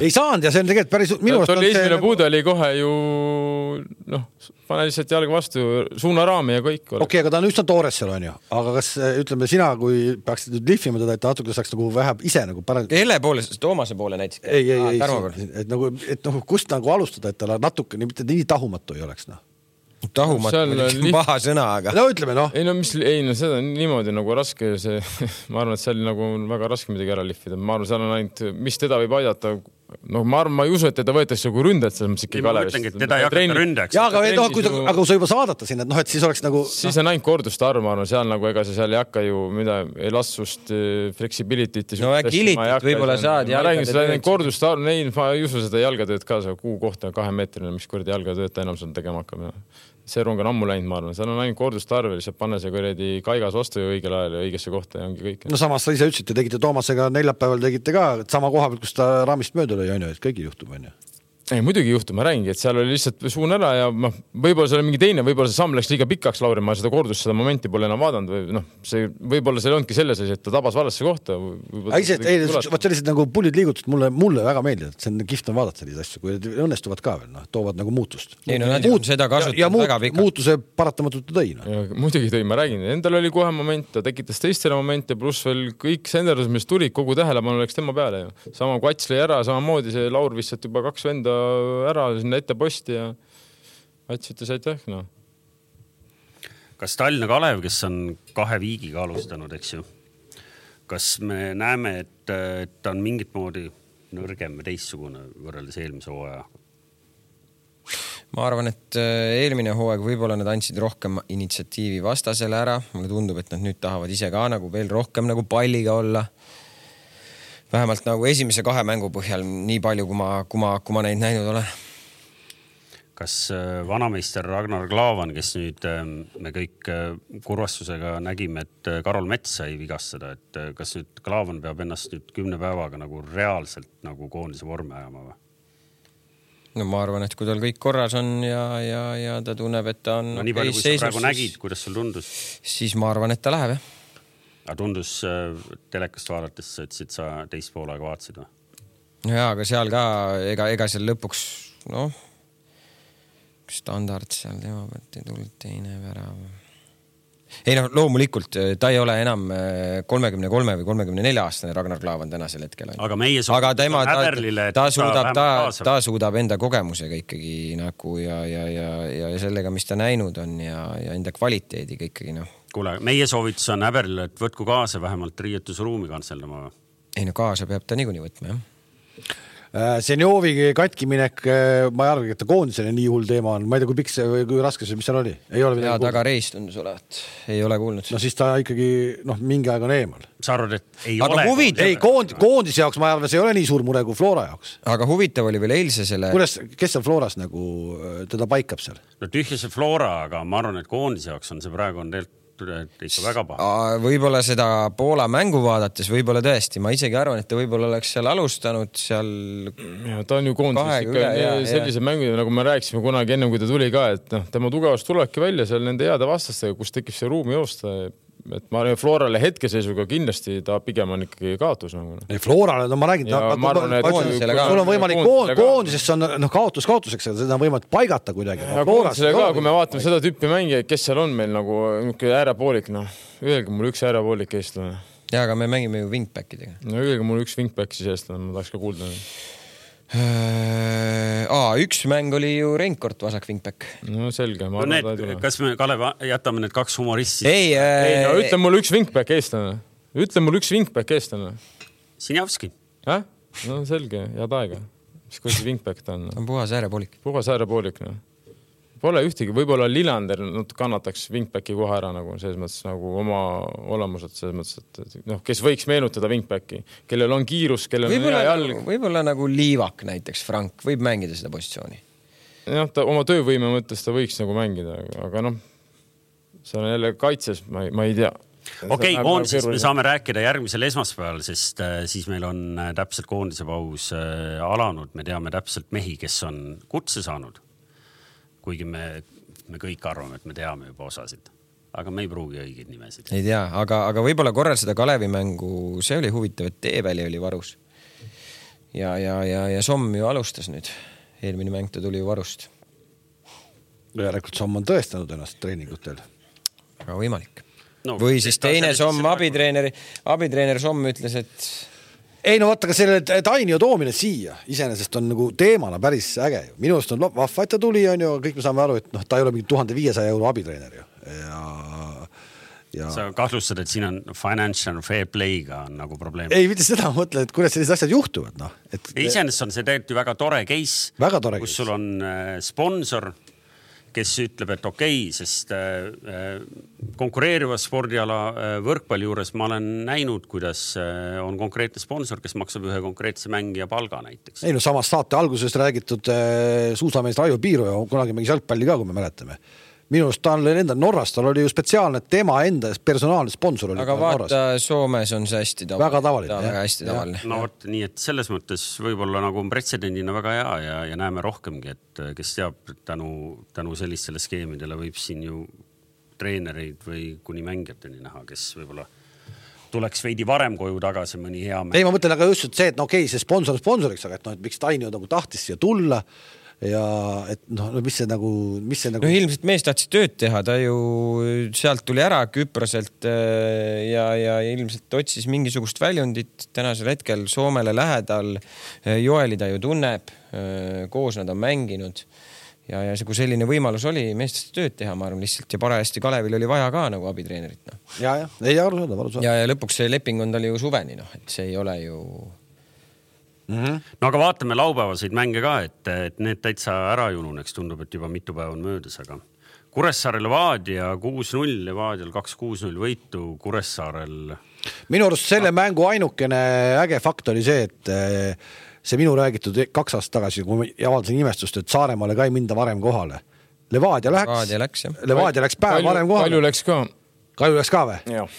Ei saanud ja see on tegelikult päris... Minu ta oli esimene nagu... puude oli kohe ju, noh, pane lihtsalt jalga vastu, suunaraami ja kõik. Okei, okay, aga ta on üsna toores seal on ju. Aga kas, ütleme, sina, kui peaksid nüüd lihvima teda, et ta natuke saaks nagu vähe ise nagu parem... Hele poole, Toomase poole näiteks. Ei, ei, ei, et, nagu, et nagu, kust nagu alustada, et ta natuke mitte nii tahumatu ei oleks, noh. Tahumatu on paha sõna, aga... No ütleme, noh. Ei, no, mis, ei, no seda on niimoodi nagu raske see, ma arvan, et seal nagu on väga raske midagi ära lihvida. Ma arvan, seal on ainult, mis teda võib aidata. No, ma arvan, ma ei usu, et teda võetakse kui ründajat, selles mõttes ikka Kalevist. Ma ütlengi, et teda ei hakata ründajaks. Ja, aga, no, kui ta, aga kui sa juba saadata sinna, et noh, et siis oleks nagu... Siis on ainult korduste arv, ma arvan, seal nagu ega see seal ei hakka ju mida, elastsust, flexibility't. No gilitit võib-olla saad. Ma räägin, seda korduste arv, neil ma ei usu seda jalgatööd ka, see kuu kohta kahe meetrine, mis kuradi jalgatööd ta enam seal tegema hakkab. See rong on ammu läinud, ma arvan. Seal on ainult korduste arv, lihtsalt panna see kuradi kaigas vastu ja õigel ajal ja õigesse kohta ja ongi kõik. No samas sa ise ütlesite, tegite Toomasega neljapäeval tegite ka sama koha pealt, kus ta raamist mööda lõi, on ju, et kõigil juhtub, on ju. Ei, muidugi juhtub, ma räägingi, et seal oli lihtsalt suun ära ja ma, võib-olla see oli mingi teine, võib-olla see samm läks liiga pikaks, Lauri, ma seda kordust, seda momenti pole enam vaadanud või noh, see võib-olla see ongi selles, et ta tabas valasse kohta. Ise, ei, võt sellised nagu pullid liigutused mulle, mulle väga meeldivad, see on kihvt on vaadata sellised asju, kui õnnestuvad ka veel, noh, toovad nagu muutust. Ei, no nad Muut, seda kasutavad ja, ja muut, väga pikalt. Muutuse paratamatult tõi. No. Ja, muidugi tõi, ma räägin, endal oli kohe moment, ta tekitas teistele momente, pluss veel kõik senderdus, mis tulid, kogu tähelepanu läks tema peale. Ja. Sama kui Ats lõi ära, samamoodi see Laur visselt juba kaks venda ära sinna ette posti ja Ats ütles aitäh, no. Kas Tallinna Kalev, kes on kahe viigiga alustanud, eks ju, kas me näeme, et, et ta on mingit moodi nõrgem või teissugune võrreldes eelmise hooaja? Ma arvan, et eelmine hooaeg võib-olla nad andsid rohkem initsiatiivi vastasele ära. Mulle tundub, et nad nüüd tahavad ise ka nagu veel rohkem nagu palliga olla. Vähemalt nagu esimese kahe mängu põhjal nii palju, kui ma, kui ma, kui ma neid näinud olen. Kas vanameister Ragnar Klavan, kes nüüd me kõik kurvastusega nägime, et Karol Mets sai vigastada, et kas nüüd Klavan peab ennast nüüd kümne päevaga nagu reaalselt nagu koondise vormi ajama või? No ma arvan, et kui tal kõik korras on ja, ja, ja ta tunneb, et ta on... No nii palju, kui sa praegu nägid, kuidas sul tundus? Siis ma arvan, et ta läheb, jah. Aga tundus telekast vaadates, et siit sa teist poolega vaatasid või? No jaa, aga seal ka, ega, ega seal lõpuks, noh, standard seal tema pealt ei tulnud teine värav. Ei noh, loomulikult ta ei ole enam kolmekümne kolme või kolmekümne nelja aastane Ragnar Klavan tänasel hetkel. Aga meie aga tema, ta, ta, suudab, ta, ta suudab enda kogemusega ikkagi nagu ja, ja, ja, ja sellega, mis ta näinud on ja, ja enda kvaliteediga ikkagi noh. Kuule, meie soovitus on Äberile, et võtku kaasa vähemalt riietusruumi kantseldama. Ei no kaasa peab ta niikuinii võtma, jah. Senjovi katkiminek, ma ei arva, et ta koondisele nii hull teema on. Ma ei tea, kui pikk see või kui raske see, mis seal oli? Ei ole ja taga reis tundus olevat. Ei ole kuulnud. No siis ta ikkagi noh, mingi aeg on eemal. Sa arvad, et ei aga ole? Huvitav... Ei, koond, koondise jaoks ma arvan, see ei ole nii suur mure kui Flora jaoks. Aga huvitav oli veel eilse selle... Kuidas, kes seal Floras nagu teda paikab seal? No tühja see Flora, aga ma arvan, et koondise jaoks on see praegu on teelt ikka väga paha. Võib-olla seda Poola mängu vaadates, võib-olla tõesti. Ma isegi arvan, et ta võib-olla oleks seal alustanud seal... Ja, ta on ju koondis ikka ja, sellise mängu, nagu me rääkisime kunagi enne, kui ta tuli ka, et no, tema tugevast tulebki välja seal nende heade vastastega, kus tekib see ruumi joosta. Et ma arvan, Florale hetkeseisuga kindlasti ta pigem on ikkagi kaotus. Nagu. Ei, Florale, no ma räägin, ja, ta, ma arvan, et sul on võimalik koond, koondisesse on no, kaotus kaotuseks, seda on võimalik paigata kuidagi. Ja koondisele ka, kui me vaatame seda tüüpi mänge, kes seal on meil nagu äärepoolik, noh, öelge mul üks äärepoolik eestlane. Ja, aga me mängime ju wingbackidega. No öelge mul üks wingback siis eestlane, ma tahaks ka kuulda. Aa, üks mäng oli ju Reinkort vasak wingback. No selge. No need, kas me, Kalev, jätame need kaks humoristi? Ei, äh... ei no ütle mul üks wingback eestlane. Ütle mul üks wingback eestlane. Sinjavski. Häh? No selge, head aega. Mis kui see wingback ta on? On puhas äärepoolik. Puhas äärepoolik, no. Pole ühtegi, võib-olla Lillander kannataks wingbacki kohe ära nagu selles mõttes nagu oma olemused selles mõttes, et noh, kes võiks meenutada wingbacki, kellel on kiirus, kellel võibolla, on hea jalg. Võib-olla nagu Liivak näiteks, Frank, võib mängida seda positsiooni. Jah, ta oma töövõime mõttes ta võiks nagu mängida, aga noh, see on jälle kaitses, ma ei, ma ei tea. Okei, okay, koondises me saame rääkida järgmisel esmaspäeval, sest äh, siis meil on äh, täpselt koondise paus äh, alanud. Me teame täpselt mehi, kes on kutse saanud. Kuigi me, me kõik arvame, et me teame juba osasid. Aga me ei pruugi õigeid nimesid. Ei tea, aga, aga võib-olla korral seda Kalevi mängu, see oli huvitav, et Teeväli oli varus. Ja, ja, ja, ja Somm ju alustas nüüd. Eelmine mäng ta tuli ju varust. Järelikult Somm on tõestanud ennast treeningutel. Aga võimalik. No, või siis teine Somm, abitreeneri, abitreener Somm ütles, et ei no vaata, ka selle Tainio toomine siia iseenesest on nagu teemana päris äge. Minu arust on vahva, et ta tuli, on ju, kõik me saame aru, et noh, ta ei ole mingi tuhande viiesaja euro abitreener ju. Ja, ja... Sa kahtlustad, et siin on financial fair play'ga on nagu probleem. Ei, mitte seda mõtle, et kuidas sellised asjad juhtuvad. No. Et... Iseenesest on see tegelikult ju väga tore case, väga tore kus case. Sul on sponsor, kes ütleb, et okei, okay, sest konkureeriva spordiala võrkpalli juures ma olen näinud, kuidas on konkreetne sponsor, kes maksab ühe konkreetse mängija palga näiteks. Ei no samas saate algusest räägitud suusameest Raivo Piiru ja kunagi mängis jalgpalli ka, kui me mäletame. Minu arust ta on enda Norras, tal oli ju spetsiaalne tema enda personaalne sponsor. Oli aga vaata, Norras. Soomes on see hästi tavaline. Väga tavaline. Väga hästi tavaline. No vot, nii et selles mõttes võib-olla nagu on pretsedendina väga hea ja, ja näeme rohkemgi, et kes teab tänu, tänu sellistele skeemidele võib siin ju treenereid või kuni mängijateni näha, kes võib-olla tuleks veidi varem koju tagasi mõni hea mäng. Ei, ma mõtlen aga just see, et no okei, see sponsor sponsoriks, aga et no, et miks Tainio nagu tahtis siia tulla ja et noh, mis see nagu, mis see nagu... No ilmselt mees tahtis tööd teha, ta ju sealt tuli ära Küproselt ja, ja ilmselt otsis mingisugust väljundit tänasel hetkel Soomele lähedal. Joeli ta ju tunneb, koos nad on mänginud ja, ja see, kui selline võimalus oli, mees tahtis tööd teha, ma arvan lihtsalt ja parajasti Kalevil oli vaja ka nagu abitreenerit. No. Ja, ja, ei aru saada, aru saada. Ja, ja lõpuks see leping on tal ju suveni, noh, et see ei ole ju... Mm-hmm. No aga vaatame laupäevaseid mänge ka, et, et need täitsa ära jununeks, tundub, et juba mitu päeva on möödas, aga Kuressaare Levadia kuus null, Levadial kaks kuus null võitu, Kuressaarel... Minu arust selle mängu ainukene äge fakt oli see, et see minu räägitud kaks aastat tagasi, kui ma avaldasin imestust, et Saaremaale ka ei minda varem kohale. Levadia läks, Levadia läks, Levadia läks päev Kalju, varem kohale. Kalju läks ka. Kalju läks ka või? Jah.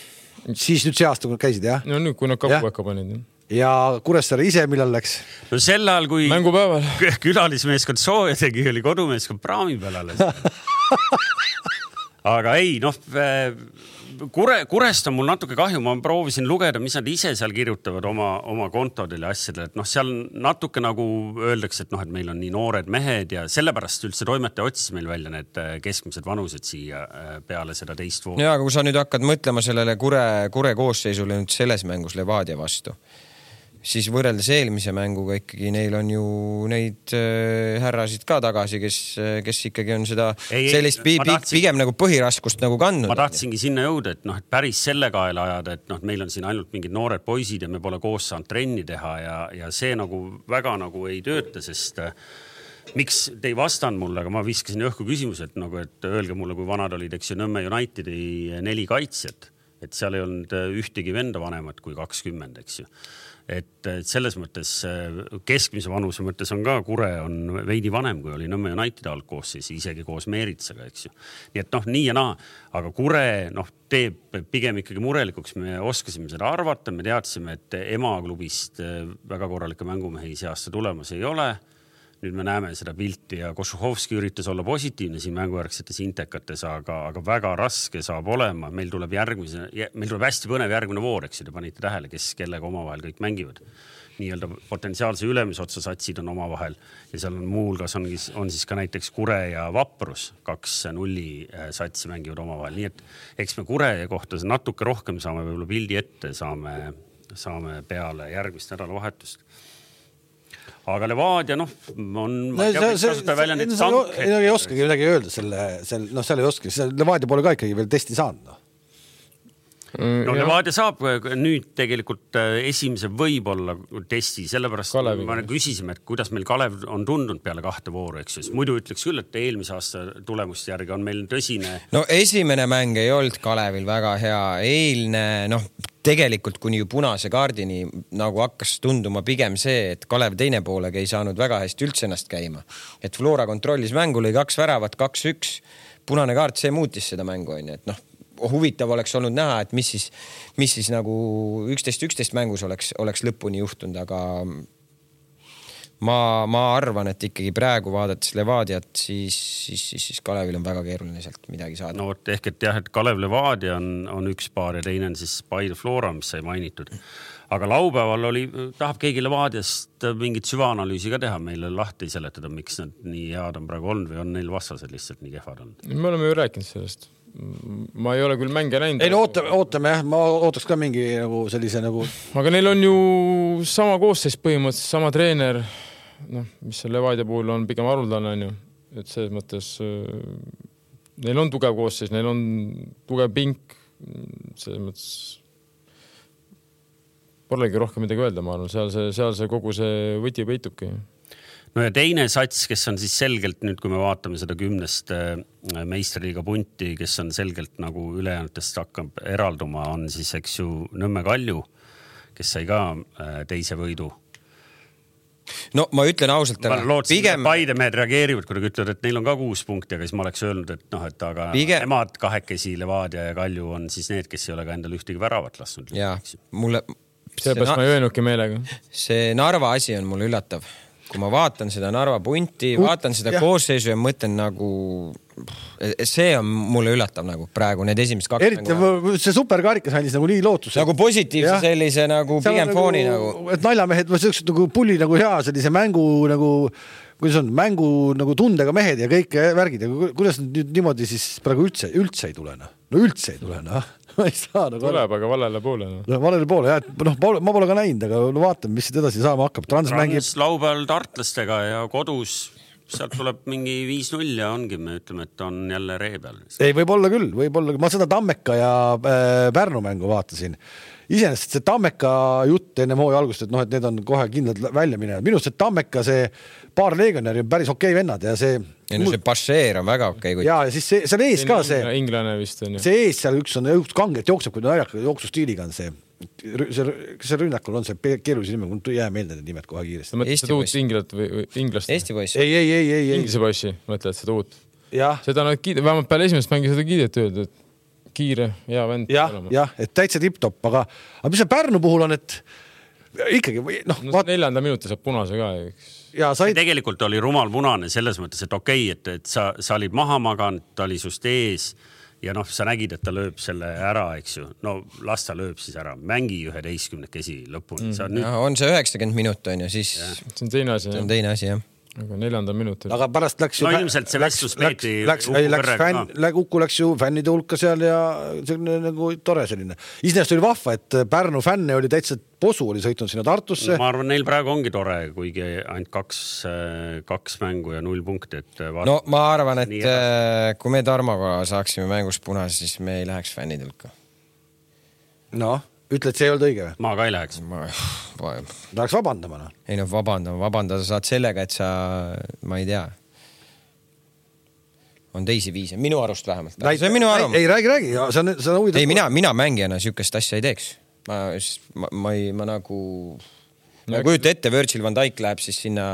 Siis nüüd see aasta, kui käisid, jah? No nüüd, kui nad kapuäkka panid. Ja Kuressaare ise millal läks? No sel ajal, kui mängupäeval külalismeeskond sooja tegi, oli kodumeeskond praami peal alles. Aga ei, noh, Kure, Kurest on mul natuke kahju, ma proovisin lugeda, mis nad ise seal kirjutavad oma, oma kontodele ja asjadele, et noh, seal natuke nagu öeldakse, et noh, et meil on nii noored mehed ja sellepärast üldse toimetaja otsis meil välja need keskmised vanused siia peale seda teist voolu. Ja, aga kui sa nüüd hakkad mõtlema sellele Kure, Kure koosseisule nüüd selles mängus Levadia vastu, siis võrreldes eelmise mänguga ikkagi neil on ju neid äh, härrasid ka tagasi, kes, kes ikkagi on seda ei, sellist ei, tahtsin, pigem nagu põhiraskust nagu kandnud. Ma tahtsingi sinna jõuda, et noh, et päris selle kaela ajada, et noh, meil on siin ainult mingid noored poisid ja me pole koos saanud trenni teha ja, ja see nagu väga nagu ei tööta, sest äh, miks te ei vastanud mulle, aga ma viskasin õhku küsimuse, et nagu, et öelge mulle, kui vanad olid, eks ju Nõmme Unitedi neli kaitsjat, et seal ei olnud ühtegi venda vanemat kui kakskümmend, eks ju. Et selles mõttes keskmise vanuse mõttes on ka Kure on veidi vanem, kui oli Nõmme United algkoosseis, isegi koos Meeritsaga, eks ju. Nii et noh, nii ja naa, aga Kure noh, teeb pigem ikkagi murelikuks. Me oskasime seda arvata, me teadsime, et emaklubist väga korralikke mängumehi see aasta tulemas ei ole. Nüüd me näeme seda pilti ja Košuhovski üritas olla positiivne siin mängujärgsetes intekates, aga, aga väga raske saab olema. Meil tuleb järgmise, meil tuleb hästi põnev järgmine voor, eks te panite tähele, kes kellega omavahel kõik mängivad. Nii-öelda potentsiaalse ülemisotsa satsid on omavahel ja seal on muulgas on, on siis ka näiteks Kure ja Vaprus, kaks nulli satsi mängivad omavahel. Nii et eks me Kure kohta natuke rohkem saame võib-olla pildi ette, saame, saame peale järgmist nädalavahetust. Aga Levadia, noh, on... No, see, see, see, see, ei oskagi midagi öelda selle, selle, noh, seal ei oska. Levadia pole ka ikkagi veel testi saanud. No. no Levadia saab nüüd tegelikult esimese võib-olla testi, sellepärast Kalevi. Ma küsisime, et kuidas meil Kalev on tundunud peale kahte vooru, eks siis. Muidu ütleks küll, et eelmise aasta tulemuste järgi on meil tõsine. No esimene mäng ei olnud Kalevil väga hea. Eilne, noh, tegelikult kuni ju punase kaardini nagu hakkas tunduma pigem see, et Kalev teine poolega ei saanud väga hästi üldse ennast käima. Et Flora kontrollis mängu, lõi kaks väravat, kaks üks. Punane kaart, see muutis seda mängu, on, et noh, huvitav oleks olnud näha, et mis siis, mis siis nagu üksteist üksteist mängus oleks, oleks lõpuni juhtunud, aga ma, ma arvan, et ikkagi praegu vaadates Levadiat, siis, siis, siis, siis Kalevil on väga keeruline sealt midagi saada. No ehk, et jah, et Kalev Levadia on, on üks paar ja teine on siis Paide Flora, mis sai mainitud. Aga laupäeval oli, tahab keegi Levadiast mingit süvaanalüüsi ka teha meile lahti seletada, miks nad nii head on praegu olnud või on neil vastased lihtsalt nii kehvad olnud? Me oleme ju rääkinud sellest. Ma ei ole küll mänge näinud. Ei no ootame, ootame jah, ma ootaks ka mingi nagu sellise nagu... Aga neil on ju sama koosseis põhimõtteliselt, sama treener, noh, mis see Levadia puhul on pigem haruldane, on ju. Et selles mõttes neil on tugev koosseis, neil on tugev pink, selles mõttes polegi rohkem midagi öelda, ma arvan, seal see, seal see kogu see võti peitubki. No ja teine sats, kes on siis selgelt nüüd, kui me vaatame seda kümnest meistriliiga punti, kes on selgelt nagu ülejäänutest hakkab eralduma, on siis, eks ju, Nõmme Kalju, kes sai ka teise võidu. No ma ütlen ausalt, aga lootsin, pigem... Paide mehed reageerivad, kui nad ütlevad, et neil on ka kuus punkti, aga siis ma oleks öelnud, et noh, et aga pigem... emad kahekesi Levadia ja Kalju on siis need, kes ei ole ka endal ühtegi väravat lasnud. Jaa, mulle... Seepärast ma ei öelnudki meelega. See Narva asi on mulle üllatav. Kui ma vaatan seda Narva punti, vaatan seda ja. Koosseisu ja mõtlen nagu, see on mulle üllatav nagu praegu need esimesed kaks. Eriti mängu. See superkarikas andis nagu nii lootus. Nagu positiivse ja. Sellise nagu pigem fooni nagu, nagu. Et naljamehed, ma sellised nagu pulli nagu hea sellise mängu nagu, kuidas on, mängu nagu tundega mehed ja kõik värgid. Ja kuidas nüüd niimoodi siis praegu üldse, üldse ei tule? No, no üldse ei tule, noh. Ma ei saa nagu... Tuleb, aga valele poole. No. Valele poole, jah. No, ma pole ka näinud, aga no, vaatame, mis edasi saama hakkab. Trans, Trans mängib... laupäeval tartlastega ja kodus sealt tuleb mingi viis null ja ongi, me ütleme, et on jälle ree peal. Ei, võib olla küll, võib olla. Ma seda Tammeka ja äh, Pärnu mängu vaatasin. Iseenesest see Tammeka jutt enne hooaja algust, et noh, et need on kohe kindlalt välja minevad. Minust see Tammeka, see paar legionäri on päris okei vennad ja see... Ja no see Pasheer on väga okei. Okay, ja, ja siis see, seal ees ka see... Inglane vist on. See ees seal üks on üks kanget jookseb, kui naljaka jooksustiiliga on see. See, see rünnakul on see keerulise nime, kui jää meelde need nimed kohe kiiresti. Sa mõtled seda uut inglat või, või inglast? Eesti poissi. Ei, ei, ei, ei. Inglise poissi, mõtled seda uut. Ja. Seda nad kiid... vähemalt peale esimest mängi seda kiideti öelda, et kiire, hea vend. Jah, jah, et täitsa tipp-top, aga, aga mis see Pärnu puhul on, et ikkagi... No, no vaat... neljanda minuti saab punase ka, eks. Ja said... Tegelikult oli rumal punane selles mõttes, et okei, et, et sa, sa olid maha maganud, ta oli sust ees ja noh, sa nägid, et ta lööb selle ära, eks ju. No las ta lööb siis ära. Mängi üheteistkümnekesi lõpuni. Mm. Nüüd... Ja, on see üheksakümmend minut on ja siis... Ja. See on teine asi. See on teine asi, jah. Aga neljanda minutil. Aga pärast läks... No ilmselt see vestlus peeti läks, läks, läks, fänn, läks, Uku läks ju fännide hulka seal ja selline nagu tore selline. Isnäest oli vahva, et Pärnu fänne oli täitsa posu, oli sõitnud sinna Tartusse. Ma arvan, neil praegu ongi tore, kuigi ainult kaks, kaks mängu ja null punkti. Et no ma arvan, et kui me Tarmoga saaksime mängus punase, siis me ei läheks fännide hulka. No, ütled, see ei olnud õige või? Ma ka ei läheks. Ma... Ta läheks vabandama. No. Ei no vabandama, vabandada saad sellega, et sa, ma ei tea, on teisi viise, minu arust vähemalt. See on minu arvamus. Ei, räägi, räägi. See on, see on huvitav. Ei, mina, mina mängijana sükest asja ei teeks. Ma, ma, ma, ei, ma nagu, ma kujuta ette, Virgil van Dijk läheb siis sinna...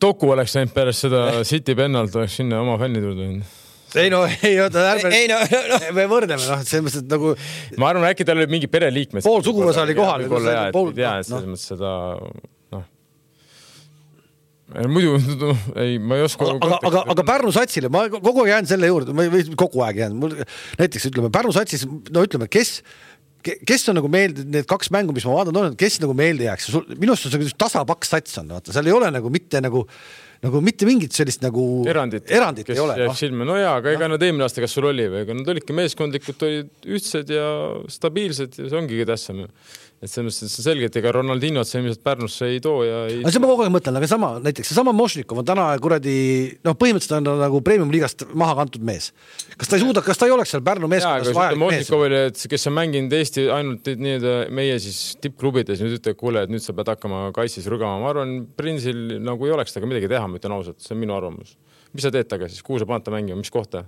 Toku oleks näinud pärast seda City pennalt, oleks sinna oma fännid juurde. Ei no, ei oota, ärme... Ei no, no. Me võrdleme, noh, selles mõttes, et nagu... Ma arvan, äkki tal oli mingi pereliikmed. Pool suguvõsa oli kohal. Võib-olla jah, et ei tea, et selles mõttes seda... noh. Muidu, ei, ma ei oska... Aga, aga, aga Pärnu satsile, ma kogu aeg jään selle juurde, või kogu aeg jään. Näiteks ütleme, Pärnu satsis, no ütleme, kes... kes on nagu meelde, need kaks mängu, mis ma vaatan, kes nagu meelde jääks. Minust on see tasapaks sats on, vaata. Seal ei ole nagu mitte nagu nagu mitte mingit sellist nagu erandit, erandit ei ole. No. Silme. no jaa, aga ega no. nad eelmine aasta, kas sul oli või, ega nad olidki meeskondlikud, olid ühtsed ja stabiilsed ja see ongi tähtsam. Et selles mõttes on selge, et ega Ronaldinho see ilmselt Pärnusse ei too ja ei... aga see ma kogu aeg mõtlen, aga sama, näiteks see sama Mošnikov on täna kuradi, noh põhimõtteliselt on nagu premium liigast maha kantud mees. Kas ta ei suuda, kas ta ei oleks seal Pärnu meeskonnas vajalik mees? Mošnikov oli, et kes on mänginud Eesti ainult nii-öelda meie siis tippklubides, nüüd ütleb, kuule, et nüüd sa pead hakkama kaitsis rügama. Ma arvan, Prinsil nagu ei oleks taga midagi teha, ma ütlen ausalt, see on minu arvamus. Mis sa teed taga siis? Kuhu sa paned ta mängima? Mis kohta?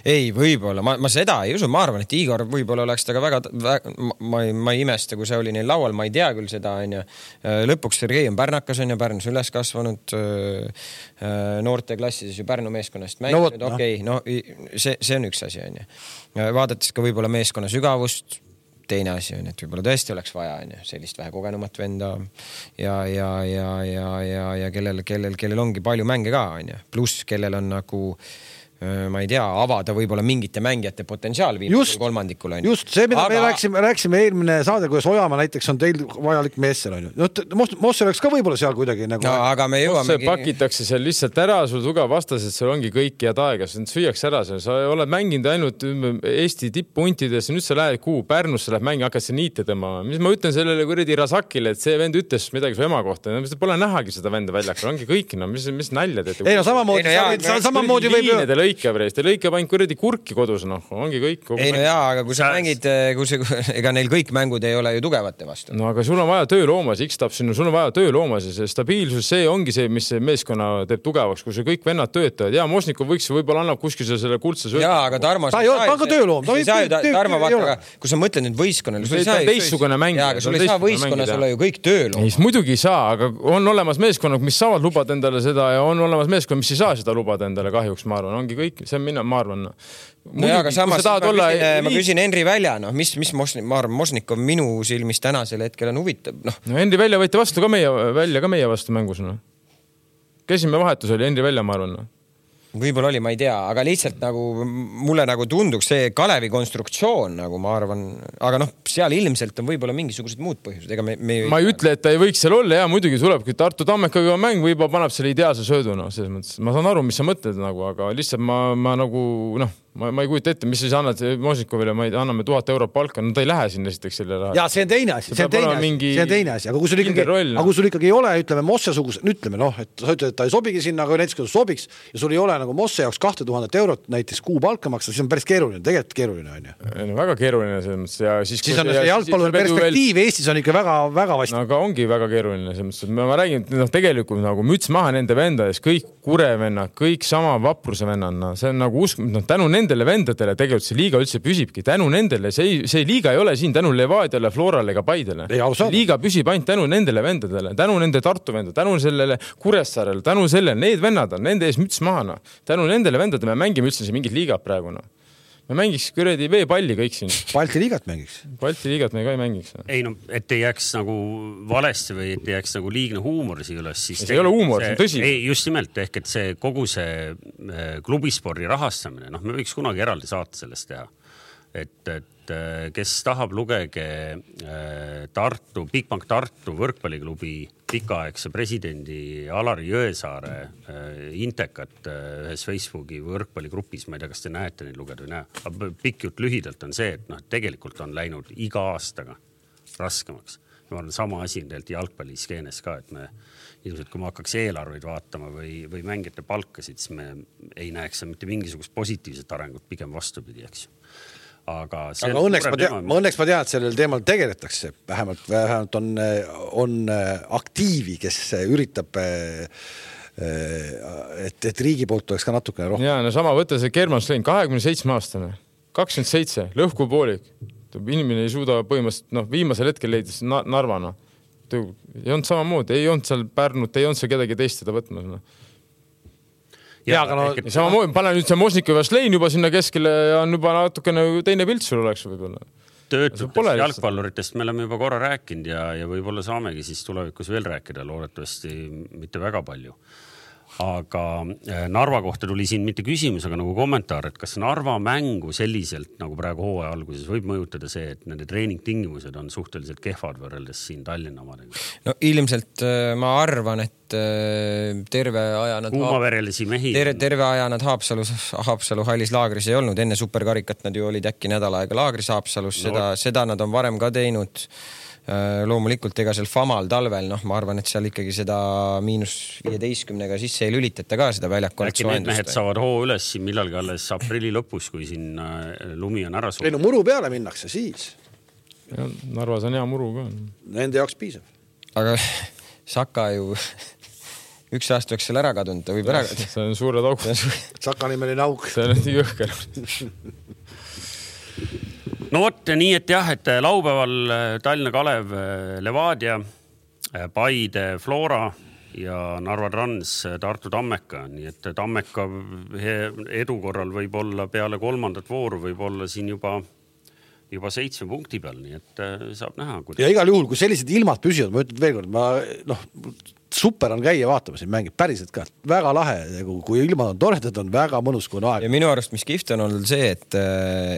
Ei, võib-olla, ma, ma seda ei usu, ma arvan, et Igor võib-olla oleks ta ka väga, väga ma, ei, ma ei imesta, kui see oli neil laual, ma ei tea küll seda, on ju. Lõpuks Sergei on Pärnakas, on ju, Pärnus üles kasvanud, noorte klassides ju Pärnu meeskonnast mänginud, no, okei, okay, no see, see on üks asi, on ju. Vaadates ka võib-olla meeskonna sügavust, teine asi on, et võib-olla tõesti oleks vaja, on ju, sellist vähe kogenumat venda ja, ja, ja, ja, ja, ja kellel, kellel, kellel ongi palju mänge ka, on ju. Pluss, kellel on nagu ma ei tea, avada võib-olla mingite mängijate potentsiaal viimasel kolmandikul. On. Just, see, mida aga... me rääksime, rääksime eelmine saade, kuidas Ojamaa näiteks on teil vajalik mees seal, on ju. No, Mosse oleks ka võib-olla seal kuidagi nagu... No, aga me jõuame... Mosse pakitakse seal lihtsalt ära, sul tugev vastas, et seal ongi kõik head aega, see süüaks ära. Sa oled mänginud ainult Eesti tippuntides, nüüd sa lähed kuu Pärnusse, lähed mängi, hakkad see niite tõmbama. Mis ma ütlen sellele kuradi Rasakile, et see vend ütles midagi su ema kohta. No, pole nähagi seda venda väljakul, ongi kõik, no mis, mis nalja teete? Ei no samamoodi, ei, no, jaa, samamoodi võib... lõike preest, lõikab ainult kuradi kurki kodus, noh, ongi kõik. Ei no jaa, aga kui sa mängid, kui see, ega neil kõik mängud ei ole ju tugevate vastu. No aga sul on vaja tööloomas, X-tab sinna, sul on vaja tööloomas ja see stabiilsus, see ongi see, mis see meeskonna teeb tugevaks, kui see kõik vennad töötavad. Jaa, Mošnikov võiks võib-olla annab kuskil selle kuldse sööda. Jaa, aga Tarmo... Ta ei ole, ta on ka tööloom. Tarmo, vaata, aga kui sa mõtled nüüd võistkonnale, sul ei saa... Teissugune mäng. Jaa, aga sul ei saa võistkonnas olla ju kõik tööloom. Ei, muidugi ei saa, aga on olemas meeskonnad, mis saavad lubada endale seda ja on olemas meeskonnad, mis ei saa seda lubada endale kahjuks, ma arvan. Ongi kõik, see on mina, ma arvan. No jaa, aga samas ma, olla... küsin, ma küsin Henri Välja, noh, mis, mis Mosnik, ma arvan, Mosnikov minu silmis tänasel hetkel on huvitav. No. No Henri Välja võite vastu ka meie, välja ka meie vastu mängus. No. Käsime vahetus oli Henri Välja, ma arvan. No. Võib-olla oli, ma ei tea, aga lihtsalt nagu mulle nagu tunduks see Kalevi konstruktsioon, nagu ma arvan, aga noh, seal ilmselt on võib-olla mingisugused muud põhjused. Ega me, me ma ei ütle, et ta ei võiks seal olla ja muidugi tuleb, kui Tartu Tammekaga mäng võib-olla paneb selle ideaalse söödu, no, selles mõttes. Ma saan aru, mis sa mõtled nagu, aga lihtsalt ma, ma nagu, noh, ma, ma ei kujuta ette, mis siis annad Mošnikovile, ma ei, anname tuhat eurot palka, no ta ei lähe sinna esiteks selle raha. Ja see on teine asi, see on teine asi, see on teine asi, aga kui sul ikkagi, roll, aga kui sul ikkagi ei ole, ütleme Mosse-suguse, ütleme noh, et sa ütled, et ta ei sobigi sinna, aga näiteks kui ta sobiks ja sul ei ole nagu Mosse jaoks kahte tuhandet eurot näiteks kuu palka maksa, siis on päris keeruline, tegelikult keeruline on ju. No, väga keeruline selles mõttes ja siis... Siis on see jalgpalluri perspektiiv veel... Eestis on ikka väga, väga vasti. No, aga ongi väga keeruline selles mõttes, et ma räägin, no, tegelikult nagu müts maha nende vendades, kõik kurevennad, kõik sama vapruse vennad, no, see on nagu usk, no, tänu nendele vendadele tegelikult see liiga üldse püsibki, tänu nendele, see, see liiga ei ole siin tänu Levadiale, Florale ega Paidele. Liiga püsib ainult tänu nendele vendadele, tänu nende Tartu vendadele, tänu sellele Kuressaarele, tänu sellele, need vennad on, nende ees müts maha, no. Tänu nendele vendadele me mängime üldse siin mingid liigad praegu, no. Me mängiks kuradi veepalli kõik siin. Balti liigat mängiks. Balti liigat me ka ei mängiks. No. Ei no, et ei jääks nagu valesti või et ei jääks nagu liigne huumor siia üles. Siis see ei ole huumor, see on tõsi. Ei, just nimelt, ehk et see kogu see klubispordi rahastamine, noh, me võiks kunagi eraldi saata sellest teha. Et, et kes tahab, lugege Tartu, Bigbank Tartu võrkpalliklubi pikaaegse presidendi Alari Jõesaare intekat ühes Facebooki võrkpalligrupis, ma ei tea, kas te näete neid lugeda või näe. Pikk jutt lühidalt on see, et noh, tegelikult on läinud iga aastaga raskemaks. Ma arvan, sama asi on tegelikult jalgpalliskeenes ka, et me ilmselt, kui ma hakkaks eelarveid vaatama või, või mängijate palkasid, siis me ei näeks mitte mingisugust positiivset arengut, pigem vastupidi, eks ju. Aga, aga õnneks, ma tean, ma õnneks ma tean, et sellel teemal tegeletakse. Vähemalt, vähemalt on, on aktiivi, kes üritab, et, et riigi poolt oleks ka natukene rohkem. Ja, no sama võtta see German Slein, kahekümne seitsme aastane, kakskümmend seitse, lõhku poolik. Inimene ei suuda põhimõtteliselt, noh, viimasel hetkel leidis Narvana. Ei olnud samamoodi, ei olnud seal Pärnut, ei olnud seal kedagi teist seda võtmas. No. Ja, ja, aga no, et... samamoodi, pane nüüd see Mošnikov ja Slein juba sinna keskele ja on juba natukene teine pilt sul oleks võib-olla. Töötutest jalgpalluritest me oleme juba korra rääkinud ja, ja võib-olla saamegi siis tulevikus veel rääkida, loodetavasti mitte väga palju. aga Narva kohta tuli siin mitte küsimus, aga nagu kommentaar, et kas Narva mängu selliselt nagu praegu hooaja alguses võib mõjutada see, et nende treeningtingimused on suhteliselt kehvad võrreldes siin Tallinna omadega? No ilmselt ma arvan, et terve aja nad kuumaverelisi mehi terve, terve aja nad Haapsalus, Haapsalu hallis laagris ei olnud, enne superkarikat nad ju olid äkki nädal aega laagris Haapsalus, no. seda, seda nad on varem ka teinud. Loomulikult ega seal Famal talvel, noh, ma arvan, et seal ikkagi seda miinus viieteistkümnega sisse ei lülitata ka seda väljakonnat soojendust. Äkki need mehed saavad hoo üles siin millalgi alles aprilli lõpus, kui siin lumi on ära suur. Ei no muru peale minnakse siis. Ja, Narvas on hea muru ka. Nende jaoks piisab. Aga Saka ju üks aasta oleks seal ära kadunud, ta võib ära kadunud. See on suured auk. Saka nimeline auk. See on nii jõhker. No vot, nii et jah, et laupäeval Tallinna Kalev, Levadia, Paide, Flora ja Narva Trans, Tartu Tammeka. Nii et Tammeka edu korral võib olla peale kolmandat vooru, võib olla siin juba, juba seitsme punkti peal, nii et saab näha. Kuidas... Ja igal juhul, kui sellised ilmad püsivad, ma ütlen veel kord, ma, noh, super on käia vaatama siin mängib, päriselt ka. Väga lahe, kui ilmad on toredad, on väga mõnus, kui on aeg. Ja minu arust, mis kihvt on olnud see, et,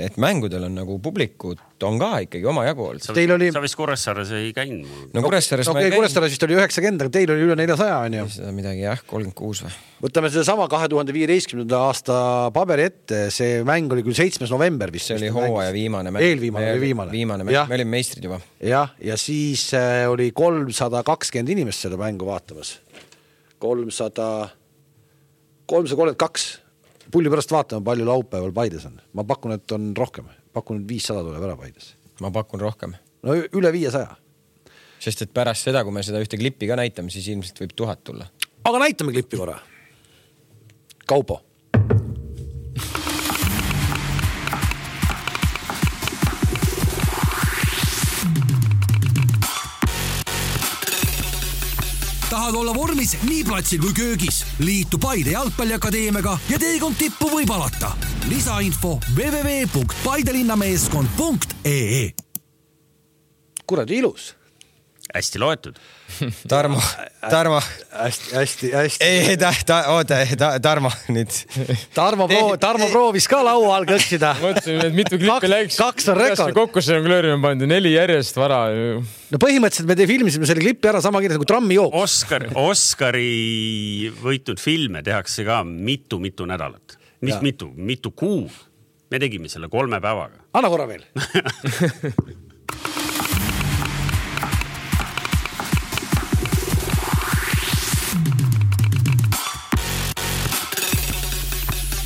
et mängudel on nagu publikud on ka ikkagi oma jagu olnud. Sa, oli... sa vist Kuressaares ei käinud mul. No Kuressaares no, ma ei käinud. Kuressaares vist oli üheksakümmend, aga teil oli üle neljasaja, on ju? Seda midagi, jah, kolmkümmend kuus või? Võtame seda sama kahe tuhande viieteistkümnenda aasta paberi ette, see mäng oli küll seitsmes november vist. See oli hooaja viimane mäng. Eelviimane oli viimane. Viimane mäng, me olime meistrid juba. Jah, ja siis oli kolmsada kakskümmend inimest seda mängu vaatamas. kolmsada kolmkümmend kaks. Pulli pärast vaatame, palju laupäeval Paides on. Ma pakun, et on rohkem. Pakun, et viissada tuleb ära Paides. Ma pakun rohkem. No üle viiesaja. Sest et pärast seda, kui me seda ühte klippi ka näitame, siis ilmselt võib tuhat tulla. Aga näitame klippi korra. Kaupo. Tahad olla vormis nii platsil kui köögis? Liitu Paide jalgpalliakadeemiaga ja teekond tippu võib alata. Lisainfo w w w punkt paidelinnameeskond punkt e e. Kuradi ilus. Hästi loetud. Tarmo, Tarmo. Hästi, hästi, hästi. Ei, ta, ta, oota, ta, Tarmo nüüd. Tarmo, proo, Tarmo proovis ka laua all kõksida. Mõtlesin, et mitu klippi läks. Kaks on rekord. Kokku see on klöörima pandi, neli järjest vara. No põhimõtteliselt me te filmisime selle klippi ära sama kirjas nagu trammi jooks. Oscar, Oscari võitnud filme tehakse ka mitu-mitu nädalat. Mis ja. mitu? Mitu kuu. Me tegime selle kolme päevaga. Anna korra veel.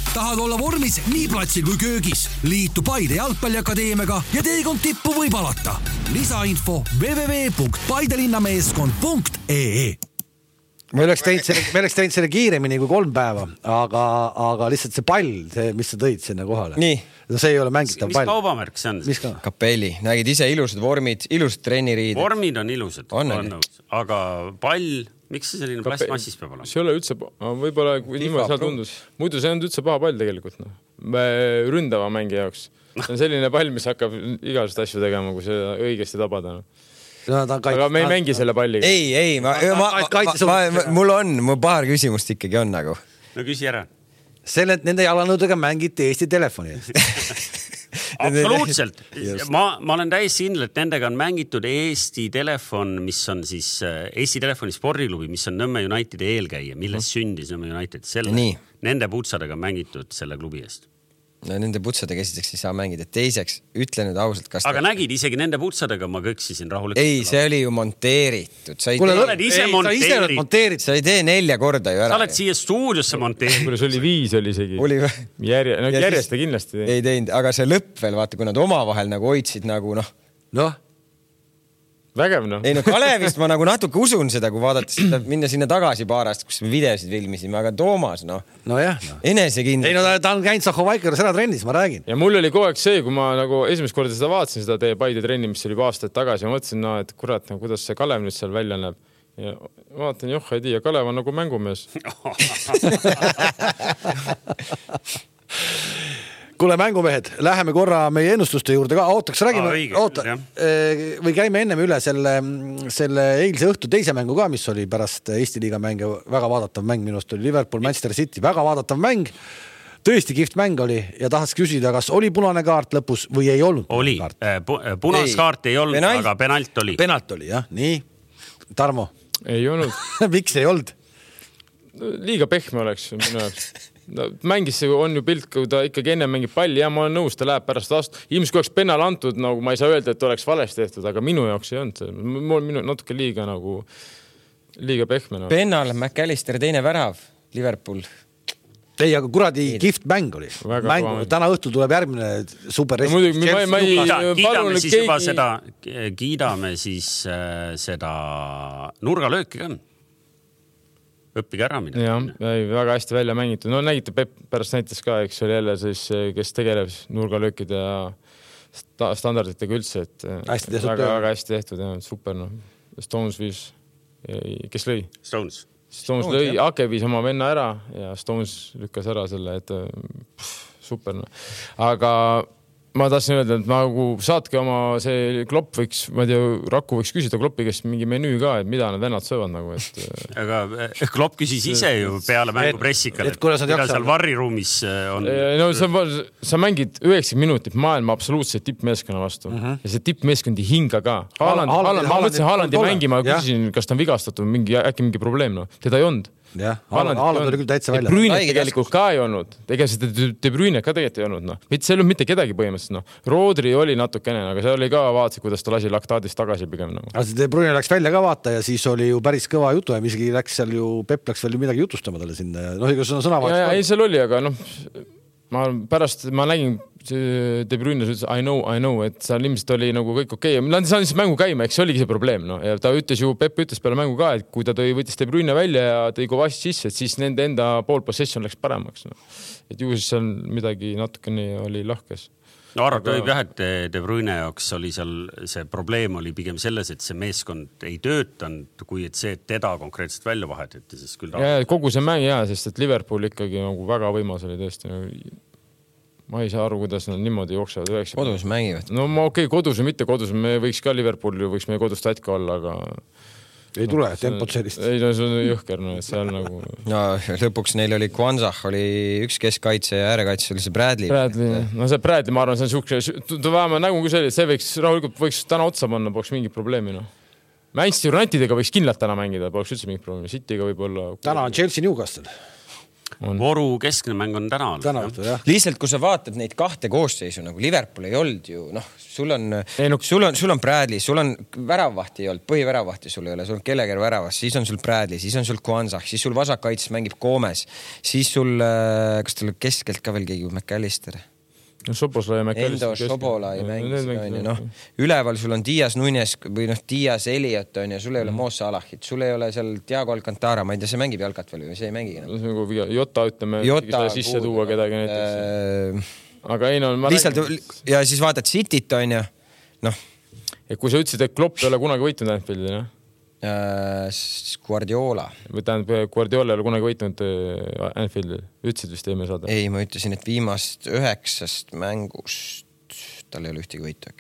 Tahad olla vormis nii platsil kui köögis? Liitu Paide jalgpalliakadeemiaga ja teekond tippu võib alata. Lisainfo w w w punkt paidelinnameeskond punkt e e. Me oleks teinud selle, me oleks teinud selle kiiremini kui kolm päeva, aga, aga lihtsalt see pall, see, mis sa tõid sinna kohale. Nii. No see ei ole mängitav mis pall. Mis kaubamärk see on? Mis ka? Kapelli. Nägid ise ilusad vormid, ilusad trenniriided. Vormid on ilusad. On, on aga pall... Miks see selline plastmassis peab olema? See ei ole üldse, võib-olla niimoodi seal tundus. Muidu see on üldse paha pall tegelikult. No. Ründava mängi jaoks. See on selline pall, mis hakkab igasugust asju tegema, kui see õigesti tabada. No. No, aga me ei mängi selle palliga. Ei, ei, ma, ma, ma, ma, ma, mul on, mul paar küsimust ikkagi on nagu. No küsi ära. Selle, nende jalanõudega mängiti Eesti telefoni eest. Absoluutselt. Ma, ma olen täiesti kindel, et nendega on mängitud Eesti telefon, mis on siis Eesti telefoni spordiklubi, mis on Nõmme Unitedi eelkäija, milles sündis Nõmme United. Selle, nende putsadega on mängitud selle klubi eest. No nende putsadega esiteks ei saa mängida. Teiseks, ütle nüüd ausalt, kas... Aga ta... nägid, isegi nende putsadega ma kõksisin rahulikult. Ei, see oli ju monteeritud. Sa ei Kule, tee... oled ise monteerid. monteerid. Sa ei tee nelja korda ju ära. Sa oled siia stuudiosse monteerid. Kuule, see oli viis oli isegi. Oli... Järje... No, järjest ta kindlasti. Ei teinud, aga see lõpp veel, vaata, kui nad omavahel nagu hoidsid nagu noh... Noh? Vägev, noh. Ei, no Kalevist ma nagu natuke usun seda, kui vaadata seda, minna sinna tagasi paarast, kus me videosid filmisime, aga Toomas, noh. No jah, noh. Enesekindel. Ei, no ta, ta on käinud Sahhovaikeras ära trennis, ma räägin. Ja mul oli kogu aeg see, kui ma nagu esimest korda seda vaatasin, seda teie Paide trenni, mis oli aastaid tagasi, ma mõtlesin, no, et kurat, no, kuidas see Kalev nüüd seal välja näeb. Ja vaatan, joh, ei tea, Kalev on nagu mängumees. Kuule, mängumehed, läheme korra meie ennustuste juurde ka. Ootaks, räägime, Aa, oota, või käime ennem üle selle, selle eilse õhtu teise mängu ka, mis oli pärast Eesti liiga mänge. Väga vaadatav mäng minust oli Liverpool, Manchester City. Väga vaadatav mäng. Tõesti kihvt mäng oli ja tahaks küsida, kas oli punane kaart lõpus või ei olnud? Oli. Punas kaart ei olnud, penalt. Aga penalt oli. Penalt oli, jah. Nii. Tarmo? Ei olnud. Miks ei olnud? Liiga pehme oleks minu jaoks. No, mängis on ju pilt, kui ta ikkagi enne mängib palli ja ma olen nõus, ta läheb pärast vastu. Ilmselt kui oleks penal antud, nagu ma ei saa öelda, et oleks valesti tehtud, aga minu jaoks ei olnud. Mul minu natuke liiga nagu liiga pehme. No. Penal, McAllister teine värav, Liverpool. Ei, aga kuradi kihvt mäng oli. Mängu. Täna õhtul tuleb järgmine super no, muidugi, ma, ma ei, kiidame siis keegi... juba seda, kiidame siis äh, seda nurgalööki ka. Õppige ära mida. Ja, väga hästi välja mängitud. No nägite, Pep pärast näitas ka, eks oli jälle siis, kes tegeleb nurgalöökide ja sta standarditega üldse, et hästi tehtud, väga, väga hästi tehtud ja super. No. Stones viis, kes lõi? Stones. Stones, Stones lõi, jah. Ake viis oma venna ära ja Stones lükkas ära selle, et pff, super. No. Aga ma tahtsin öelda, et nagu saatke oma see Klopp võiks, ma ei tea, Raku võiks küsida Kloppi käest mingi menüü ka, et mida need vennad söövad nagu, et... Aga Klopp küsis ise ju peale mängu pressikal, et, et mida seal varriruumis on. No sa, sa mängid üheksakümmend minutit maailma absoluutselt tippmeeskonna vastu uh -huh. ja see tippmeeskondi hinga ka. Haaland, Haaland, ma mõtlesin Haalandi mängima, küsisin, kas ta on vigastatud, mingi, äkki mingi probleem, no. Teda ei olnud. Jah, Haaland oli küll täitsa välja. De Bruyne tegelikult ka ei olnud. Ega seda De Bruyne ka tegelikult ei olnud. No. Mitte see ei olnud mitte kedagi põhimõtteliselt. No. Rodri oli natukene, aga see oli ka vaatasid, kuidas ta lasi laktaadist tagasi pigem. No. Aga De Bruyne läks välja ka vaata ja siis oli ju päris kõva jutu ja isegi läks seal ju, Pep läks veel midagi jutustama talle sinna. No, ega sõna sõna ja, ja, ei, seal oli, aga noh, ma pärast ma nägin De Bruyne ütles I know, I know, et seal ilmselt oli nagu kõik okei okay. Nad saan siis mängu käima, eks see oligi see probleem. No. Ja ta ütles ju, Pep ütles peale mängu ka, et kui ta tõi, võttis De Bruyne välja ja tõi Kovacic sisse, et siis nende enda pool possession läks paremaks. No. Et ju siis seal midagi natukene oli lahkes. No arvata võib jah, et De Bruyne jaoks oli seal, see probleem oli pigem selles, et see meeskond ei töötanud, kui et see, et teda konkreetselt välja vahetati, siis küll ta... Ja, kogu see mäng jää, sest et Liverpool ikkagi nagu väga võimas oli tõesti. Ma ei saa aru, kuidas nad niimoodi jooksevad. Kodus mängivad. No ma okei, okay, kodus või mitte kodus, me võiks ka Liverpooli, võiks meie kodust ätka olla, aga... Ei tule no, tempot sellist. Ei, no see on jõhker, no, et seal nagu... No lõpuks neil oli Kwanzah, oli üks keskkaitse ja äärekaitse oli see Bradley. Bradley, no see Bradley, ma arvan, see on suhke... Ta vähemalt nägu kui see, see võiks, rahulikult võiks täna otsa panna, poleks mingit probleemi, no. Manchester Unitedega võiks kindlalt täna mängida, poleks üldse mingit probleemi. Cityga võib-olla... Täna on Chelsea Newcastle. Voru keskne mäng on täna. täna õhtul, jah. Lihtsalt, kui sa vaatad neid kahte koosseisu, nagu Liverpool ei olnud ju, noh, sul on, ei, no... sul on, sul on Bradley, sul on väravvahti ei olnud, põhiväravvahti sul ei ole, sul on Kelleger väravas, siis on sul Bradley, siis on sul Kwanzah, siis sul vasakkaitses mängib Gomez, siis sul, kas tal keskelt ka veel keegi McAllister? No, Sobola ja Endo Sobola ei mängis, noh, üleval sul on Dias Nunes või noh, Dias Elliot on ja sul ei ole Mo Salahit, sul ei ole seal Thiago Alcantara, ma ei tea, see mängib jalkat veel või see ei mängigi. No. Jota, ütleme, Jota, sisse tuua kedagi näiteks. Äh, aga ei, no, ma lihtsalt, räägin... ja siis vaatad Cityt on ja, noh. Ja kui sa ütlesid, et Klopp ei ole kunagi võitnud Anfieldil, jah? Äh, Guardiola. Või tähendab, Guardiola ei ole kunagi võitnud Anfieldil. Ütlesid vist eemel saada? Ei, ma ütlesin, et viimast üheksast mängust tal ei ole ühtegi võitu.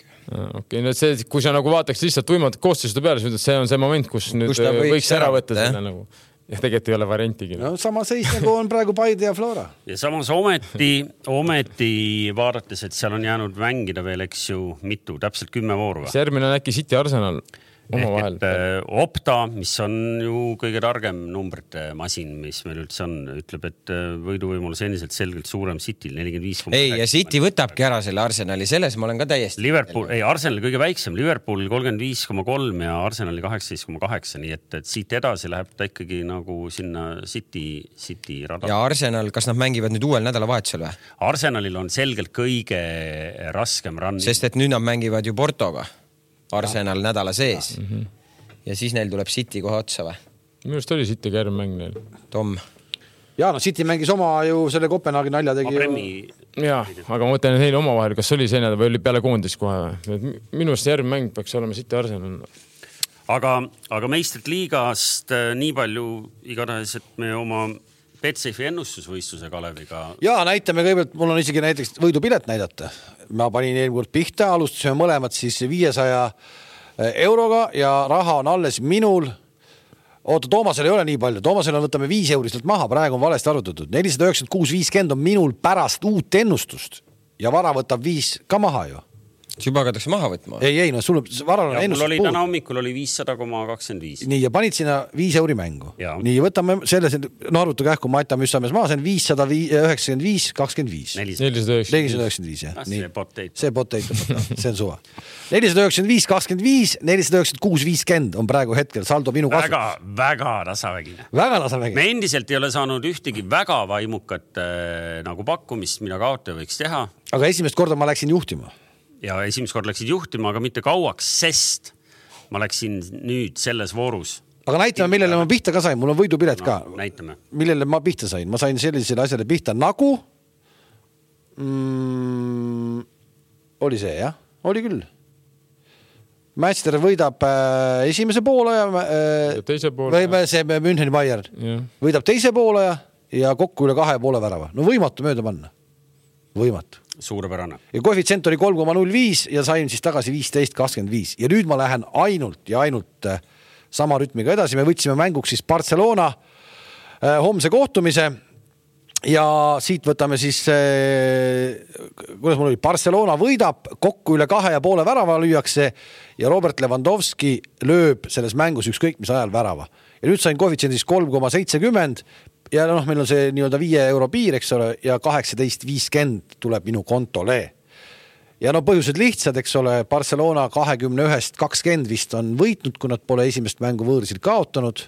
Okei, no see, kui sa nagu vaataks lihtsalt tuimad koostised peale, siis see on see moment, kus nüüd kus võiks, võiks ära võtta selle nagu. Ja tegelikult ei ole variantigi. No sama seis nagu on praegu Paide ja Flora. Ja samas ometi, ometi vaadates, et seal on jäänud mängida veel, eks ju, mitu, täpselt kümme vooru. See järgmine on äkki City Arsenal. Ehk et Opta, mis on ju kõige targem numbrite masin, mis meil üldse on, ütleb, et võiduvõimalus endiselt selgelt suurem Cityl nelikümmend viis. Ei, ja City võtabki ära selle Arsenali, selles ma olen ka täiesti. Liverpool, ei, Arsenali kõige väiksem, Liverpool kolmkümmend viis koma kolm ja Arsenali kaheksateist koma kaheksa, nii et, et siit edasi läheb ta ikkagi nagu sinna City, City rada. Ja Arsenal, kas nad mängivad nüüd uuel nädalavahetusel või? Arsenalil on selgelt kõige raskem run. Sest et nüüd nad mängivad ju Portoga. Arsenal ja. Nädala sees. Ja. Mm-hmm. Ja siis neil tuleb City kohe otsa või? Minu arust oli City kärm mäng neil. Tom. Ja no City mängis oma ju selle Kopenhaagi nalja tegi. Premi... Ja, aga ma mõtlen, et neil oma vahel, kas oli see nädal või oli peale koondis kohe või? Minu arust järgmine mäng peaks olema City Arsenal. Aga, aga meistrit liigast nii palju igatahes, et me oma Betsafe'i ennustusvõistluse Kaleviga. Ja näitame kõigepealt, mul on isegi näiteks võidupilet näidata. Ma panin eelmine kord pihta, alustasime mõlemad siis viiesaja euroga ja raha on alles minul. Oota, Toomasel ei ole nii palju. Toomasel on võtame viis euristelt maha, praegu on valesti arvutatud. nelisada üheksakümmend kuus viiskümmend on minul pärast uut ennustust ja vara võtab viis ka maha ju. Juba hakatakse maha võtma. Ei, ei, no sul varal on ennustus puud. Mul oli täna hommikul oli viissada koma kakskümmend viis. Nii, ja panid sinna viis euri mängu. Ja. Nii, võtame selle, no arvutu kähku Mata Müssamees maa, see on viissada üheksakümmend viis kakskümmend viis. nelisada üheksakümmend viis, jah. See potato. See potato, see on suva. nelisada üheksakümmend viis kakskümmend viis, nelisada üheksakümmend kuus viiskümmend on praegu hetkel saldo minu kasvus. Väga, väga tasavägine. Väga tasavägine. Me endiselt ei ole saanud ühtegi väga vaimukat äh, nagu pakkumist, mida kaotaja võiks teha. Aga esimest korda ma läksin juhtima. Ja esimest kord läksid juhtima, aga mitte kauaks, sest ma läksin nüüd selles voorus. Aga näitame, millele ma pihta ka sain. Mul on võidupilet ka. No, näitame. Millele ma pihta sain? Ma sain sellisele asjale pihta nagu... Mm, oli see, jah? Oli küll. Manchester võidab äh, esimese poolaja äh, teise poolaja. Või see Müncheni Bayern. Yeah. Võidab teise poolaja ja kokku üle kahe poole värava. No võimatu mööda panna. Võimatu. Suurepärane. Ja koefitsient oli kolm koma null viis ja sain siis tagasi viisteist kakskümmend viis. Ja nüüd ma lähen ainult ja ainult sama rütmiga edasi. Me võtsime mänguks siis Barcelona äh, homse kohtumise ja siit võtame siis äh, kuidas mul oli, Barcelona võidab, kokku üle kahe ja poole värava lüüakse ja Robert Lewandowski lööb selles mängus ükskõik mis ajal värava. Ja nüüd sain koefitsient siis kolm koma seitsekümmend ja noh, meil on see nii-öelda viie euro piir, eks ole, ja kaheksateist viiskümmend tuleb minu kontole. Ja no põhjused lihtsad, eks ole, Barcelona kahekümne ühest kakskümmend vist on võitnud, kui nad pole esimest mängu võõrsil kaotanud.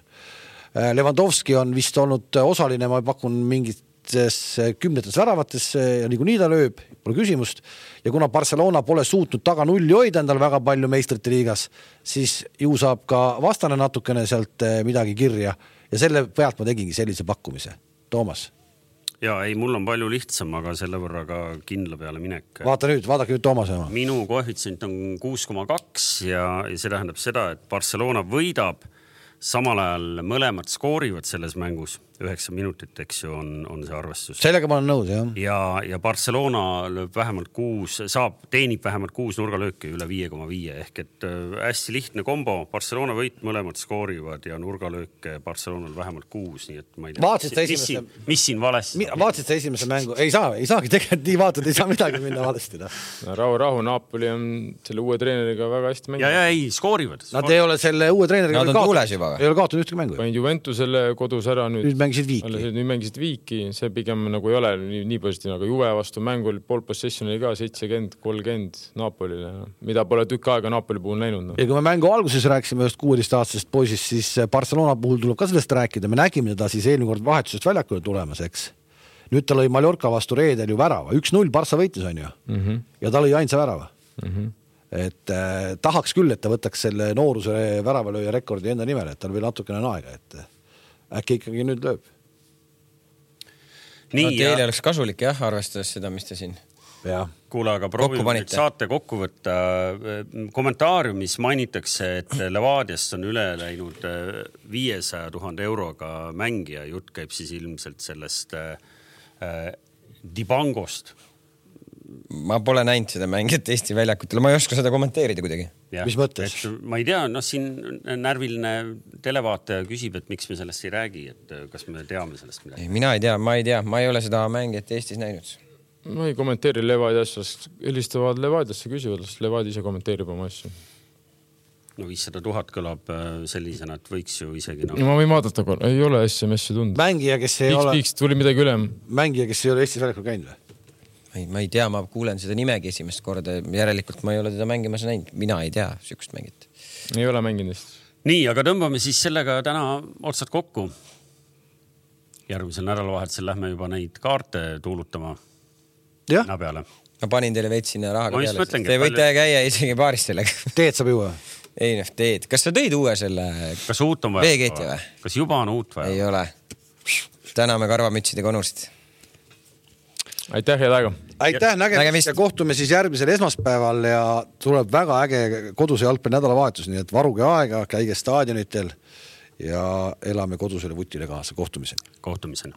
Lewandowski on vist olnud osaline, ma pakun mingites kümnetes väravates ja nii kui nii ta lööb, pole küsimust. Ja kuna Barcelona pole suutnud taga nulli hoida endal väga palju meistrite liigas, siis ju saab ka vastane natukene sealt midagi kirja. Ja selle pealt ma tegingi sellise pakkumise. Toomas. Ja ei, mul on palju lihtsam, aga selle võrra ka kindla peale minek. Vaata nüüd, vaadake nüüd Toomase oma. Minu koefitsient on kuus koma kaks ja see tähendab seda, et Barcelona võidab, samal ajal mõlemad skoorivad selles mängus. üheksa minutit, eks ju, on, on see arvestus. Sellega ma olen nõus, jah. Ja, ja Barcelona lööb vähemalt kuus, saab, teenib vähemalt kuus nurgalööki üle viie koma viie, ehk et hästi lihtne kombo. Barcelona võit, mõlemad skoorivad ja nurgalööke Barcelonal vähemalt kuus, nii et ma ei tea, mis, mis, siin, mis siin valesti? Vaatsid sa esimese mängu? Ei saa, ei saagi tegelikult nii vaatad, ei saa midagi minna valesti. No, rahu, rahu, Napoli on selle uue treeneriga väga hästi mänginud. Ja, ja ei, skoorivad. Nad ei ole selle uue treeneriga Nad on tuules juba. Ei ole kaotud ühtegi mängu. Panin Juventusele kodus ära nüüd. Nüüd mängisid viiki. Nüüd mängisid viiki, see pigem nagu ei ole nii, nii positiivne, aga Juve vastu mängu oli pool possession oli ka seitsekümmend kolmkümmend Napolile, mida pole tükk aega Napoli puhul näinud. No. Ja kui me mängu alguses rääkisime just kuueteistaastasest poisist, siis Barcelona puhul tuleb ka sellest rääkida. Me nägime teda siis eelmine kord vahetusest väljakule tulemas, eks. Nüüd ta lõi Mallorca vastu reedel ju värava. üks null Barca võitis on ju. Mm-hmm. Ja ta lõi ainsa värava. Mm-hmm. Et äh, tahaks küll, et ta võtaks selle nooruse väravalööja rekordi enda nimel, et tal veel natukene on aega, et äkki ikkagi nüüd lööb. Nii, no, teile ja... oleks kasulik jah, arvestades seda, mis te siin ja. Kuule, aga proovime saate kokku võtta. Kommentaariumis mainitakse, et Levadiast on üle läinud viiesaja tuhande euroga mängija. Jutt käib siis ilmselt sellest äh, Dibangost. Ma pole näinud seda mängijat Eesti väljakutele. Ma ei oska seda kommenteerida kuidagi. Ja, mis mõttes? Ma ei tea, no siin närviline televaataja küsib, et miks me sellest ei räägi, et kas me teame sellest midagi. Mina ei tea, ma ei tea, ma ei ole seda mängijat Eestis näinud. Ma ei kommenteeri Levadiast, helistavad Levadiasse küsivad, Levadi ise kommenteerib oma asju. No viissada tuhat kõlab sellisena, et võiks ju isegi no... Ma võin vaadata, ei ole S M S-i tund. Mängija, kes ei Piks, ole... Piks, tuli midagi üle. Mängija, kes ei ole Eestis väljakul käinud või? Ei, ma ei tea, ma kuulen seda nimegi esimest korda. Järelikult ma ei ole teda mängimas näinud. Mina ei tea sükust mängit. Ei ole mängindist. Nii, aga tõmbame siis sellega täna otsad kokku. Järgmisel nädalavahetusel lähme juba neid kaarte tuulutama ja? Peale. Ma panin teile veits sinna rahaga ma peale. Mõtlengi, Te võite palju... käia isegi baaris sellega. Teed saab juua? Ei, noh, teed. Kas sa tõid uue selle Kas uut on vaja? V-keeti või? Kas juba on uut vaja? Ei ole. Täname karvamütside konursid. Aitäh, head aega. Aitäh, nägemist ja kohtume siis järgmisel esmaspäeval ja tuleb väga äge koduse jalgpalli nädalavahetus, nii et varuge aega, käige staadionitel ja elame kodusele vutile kaasa. Kohtumiseni. Kohtumiseni.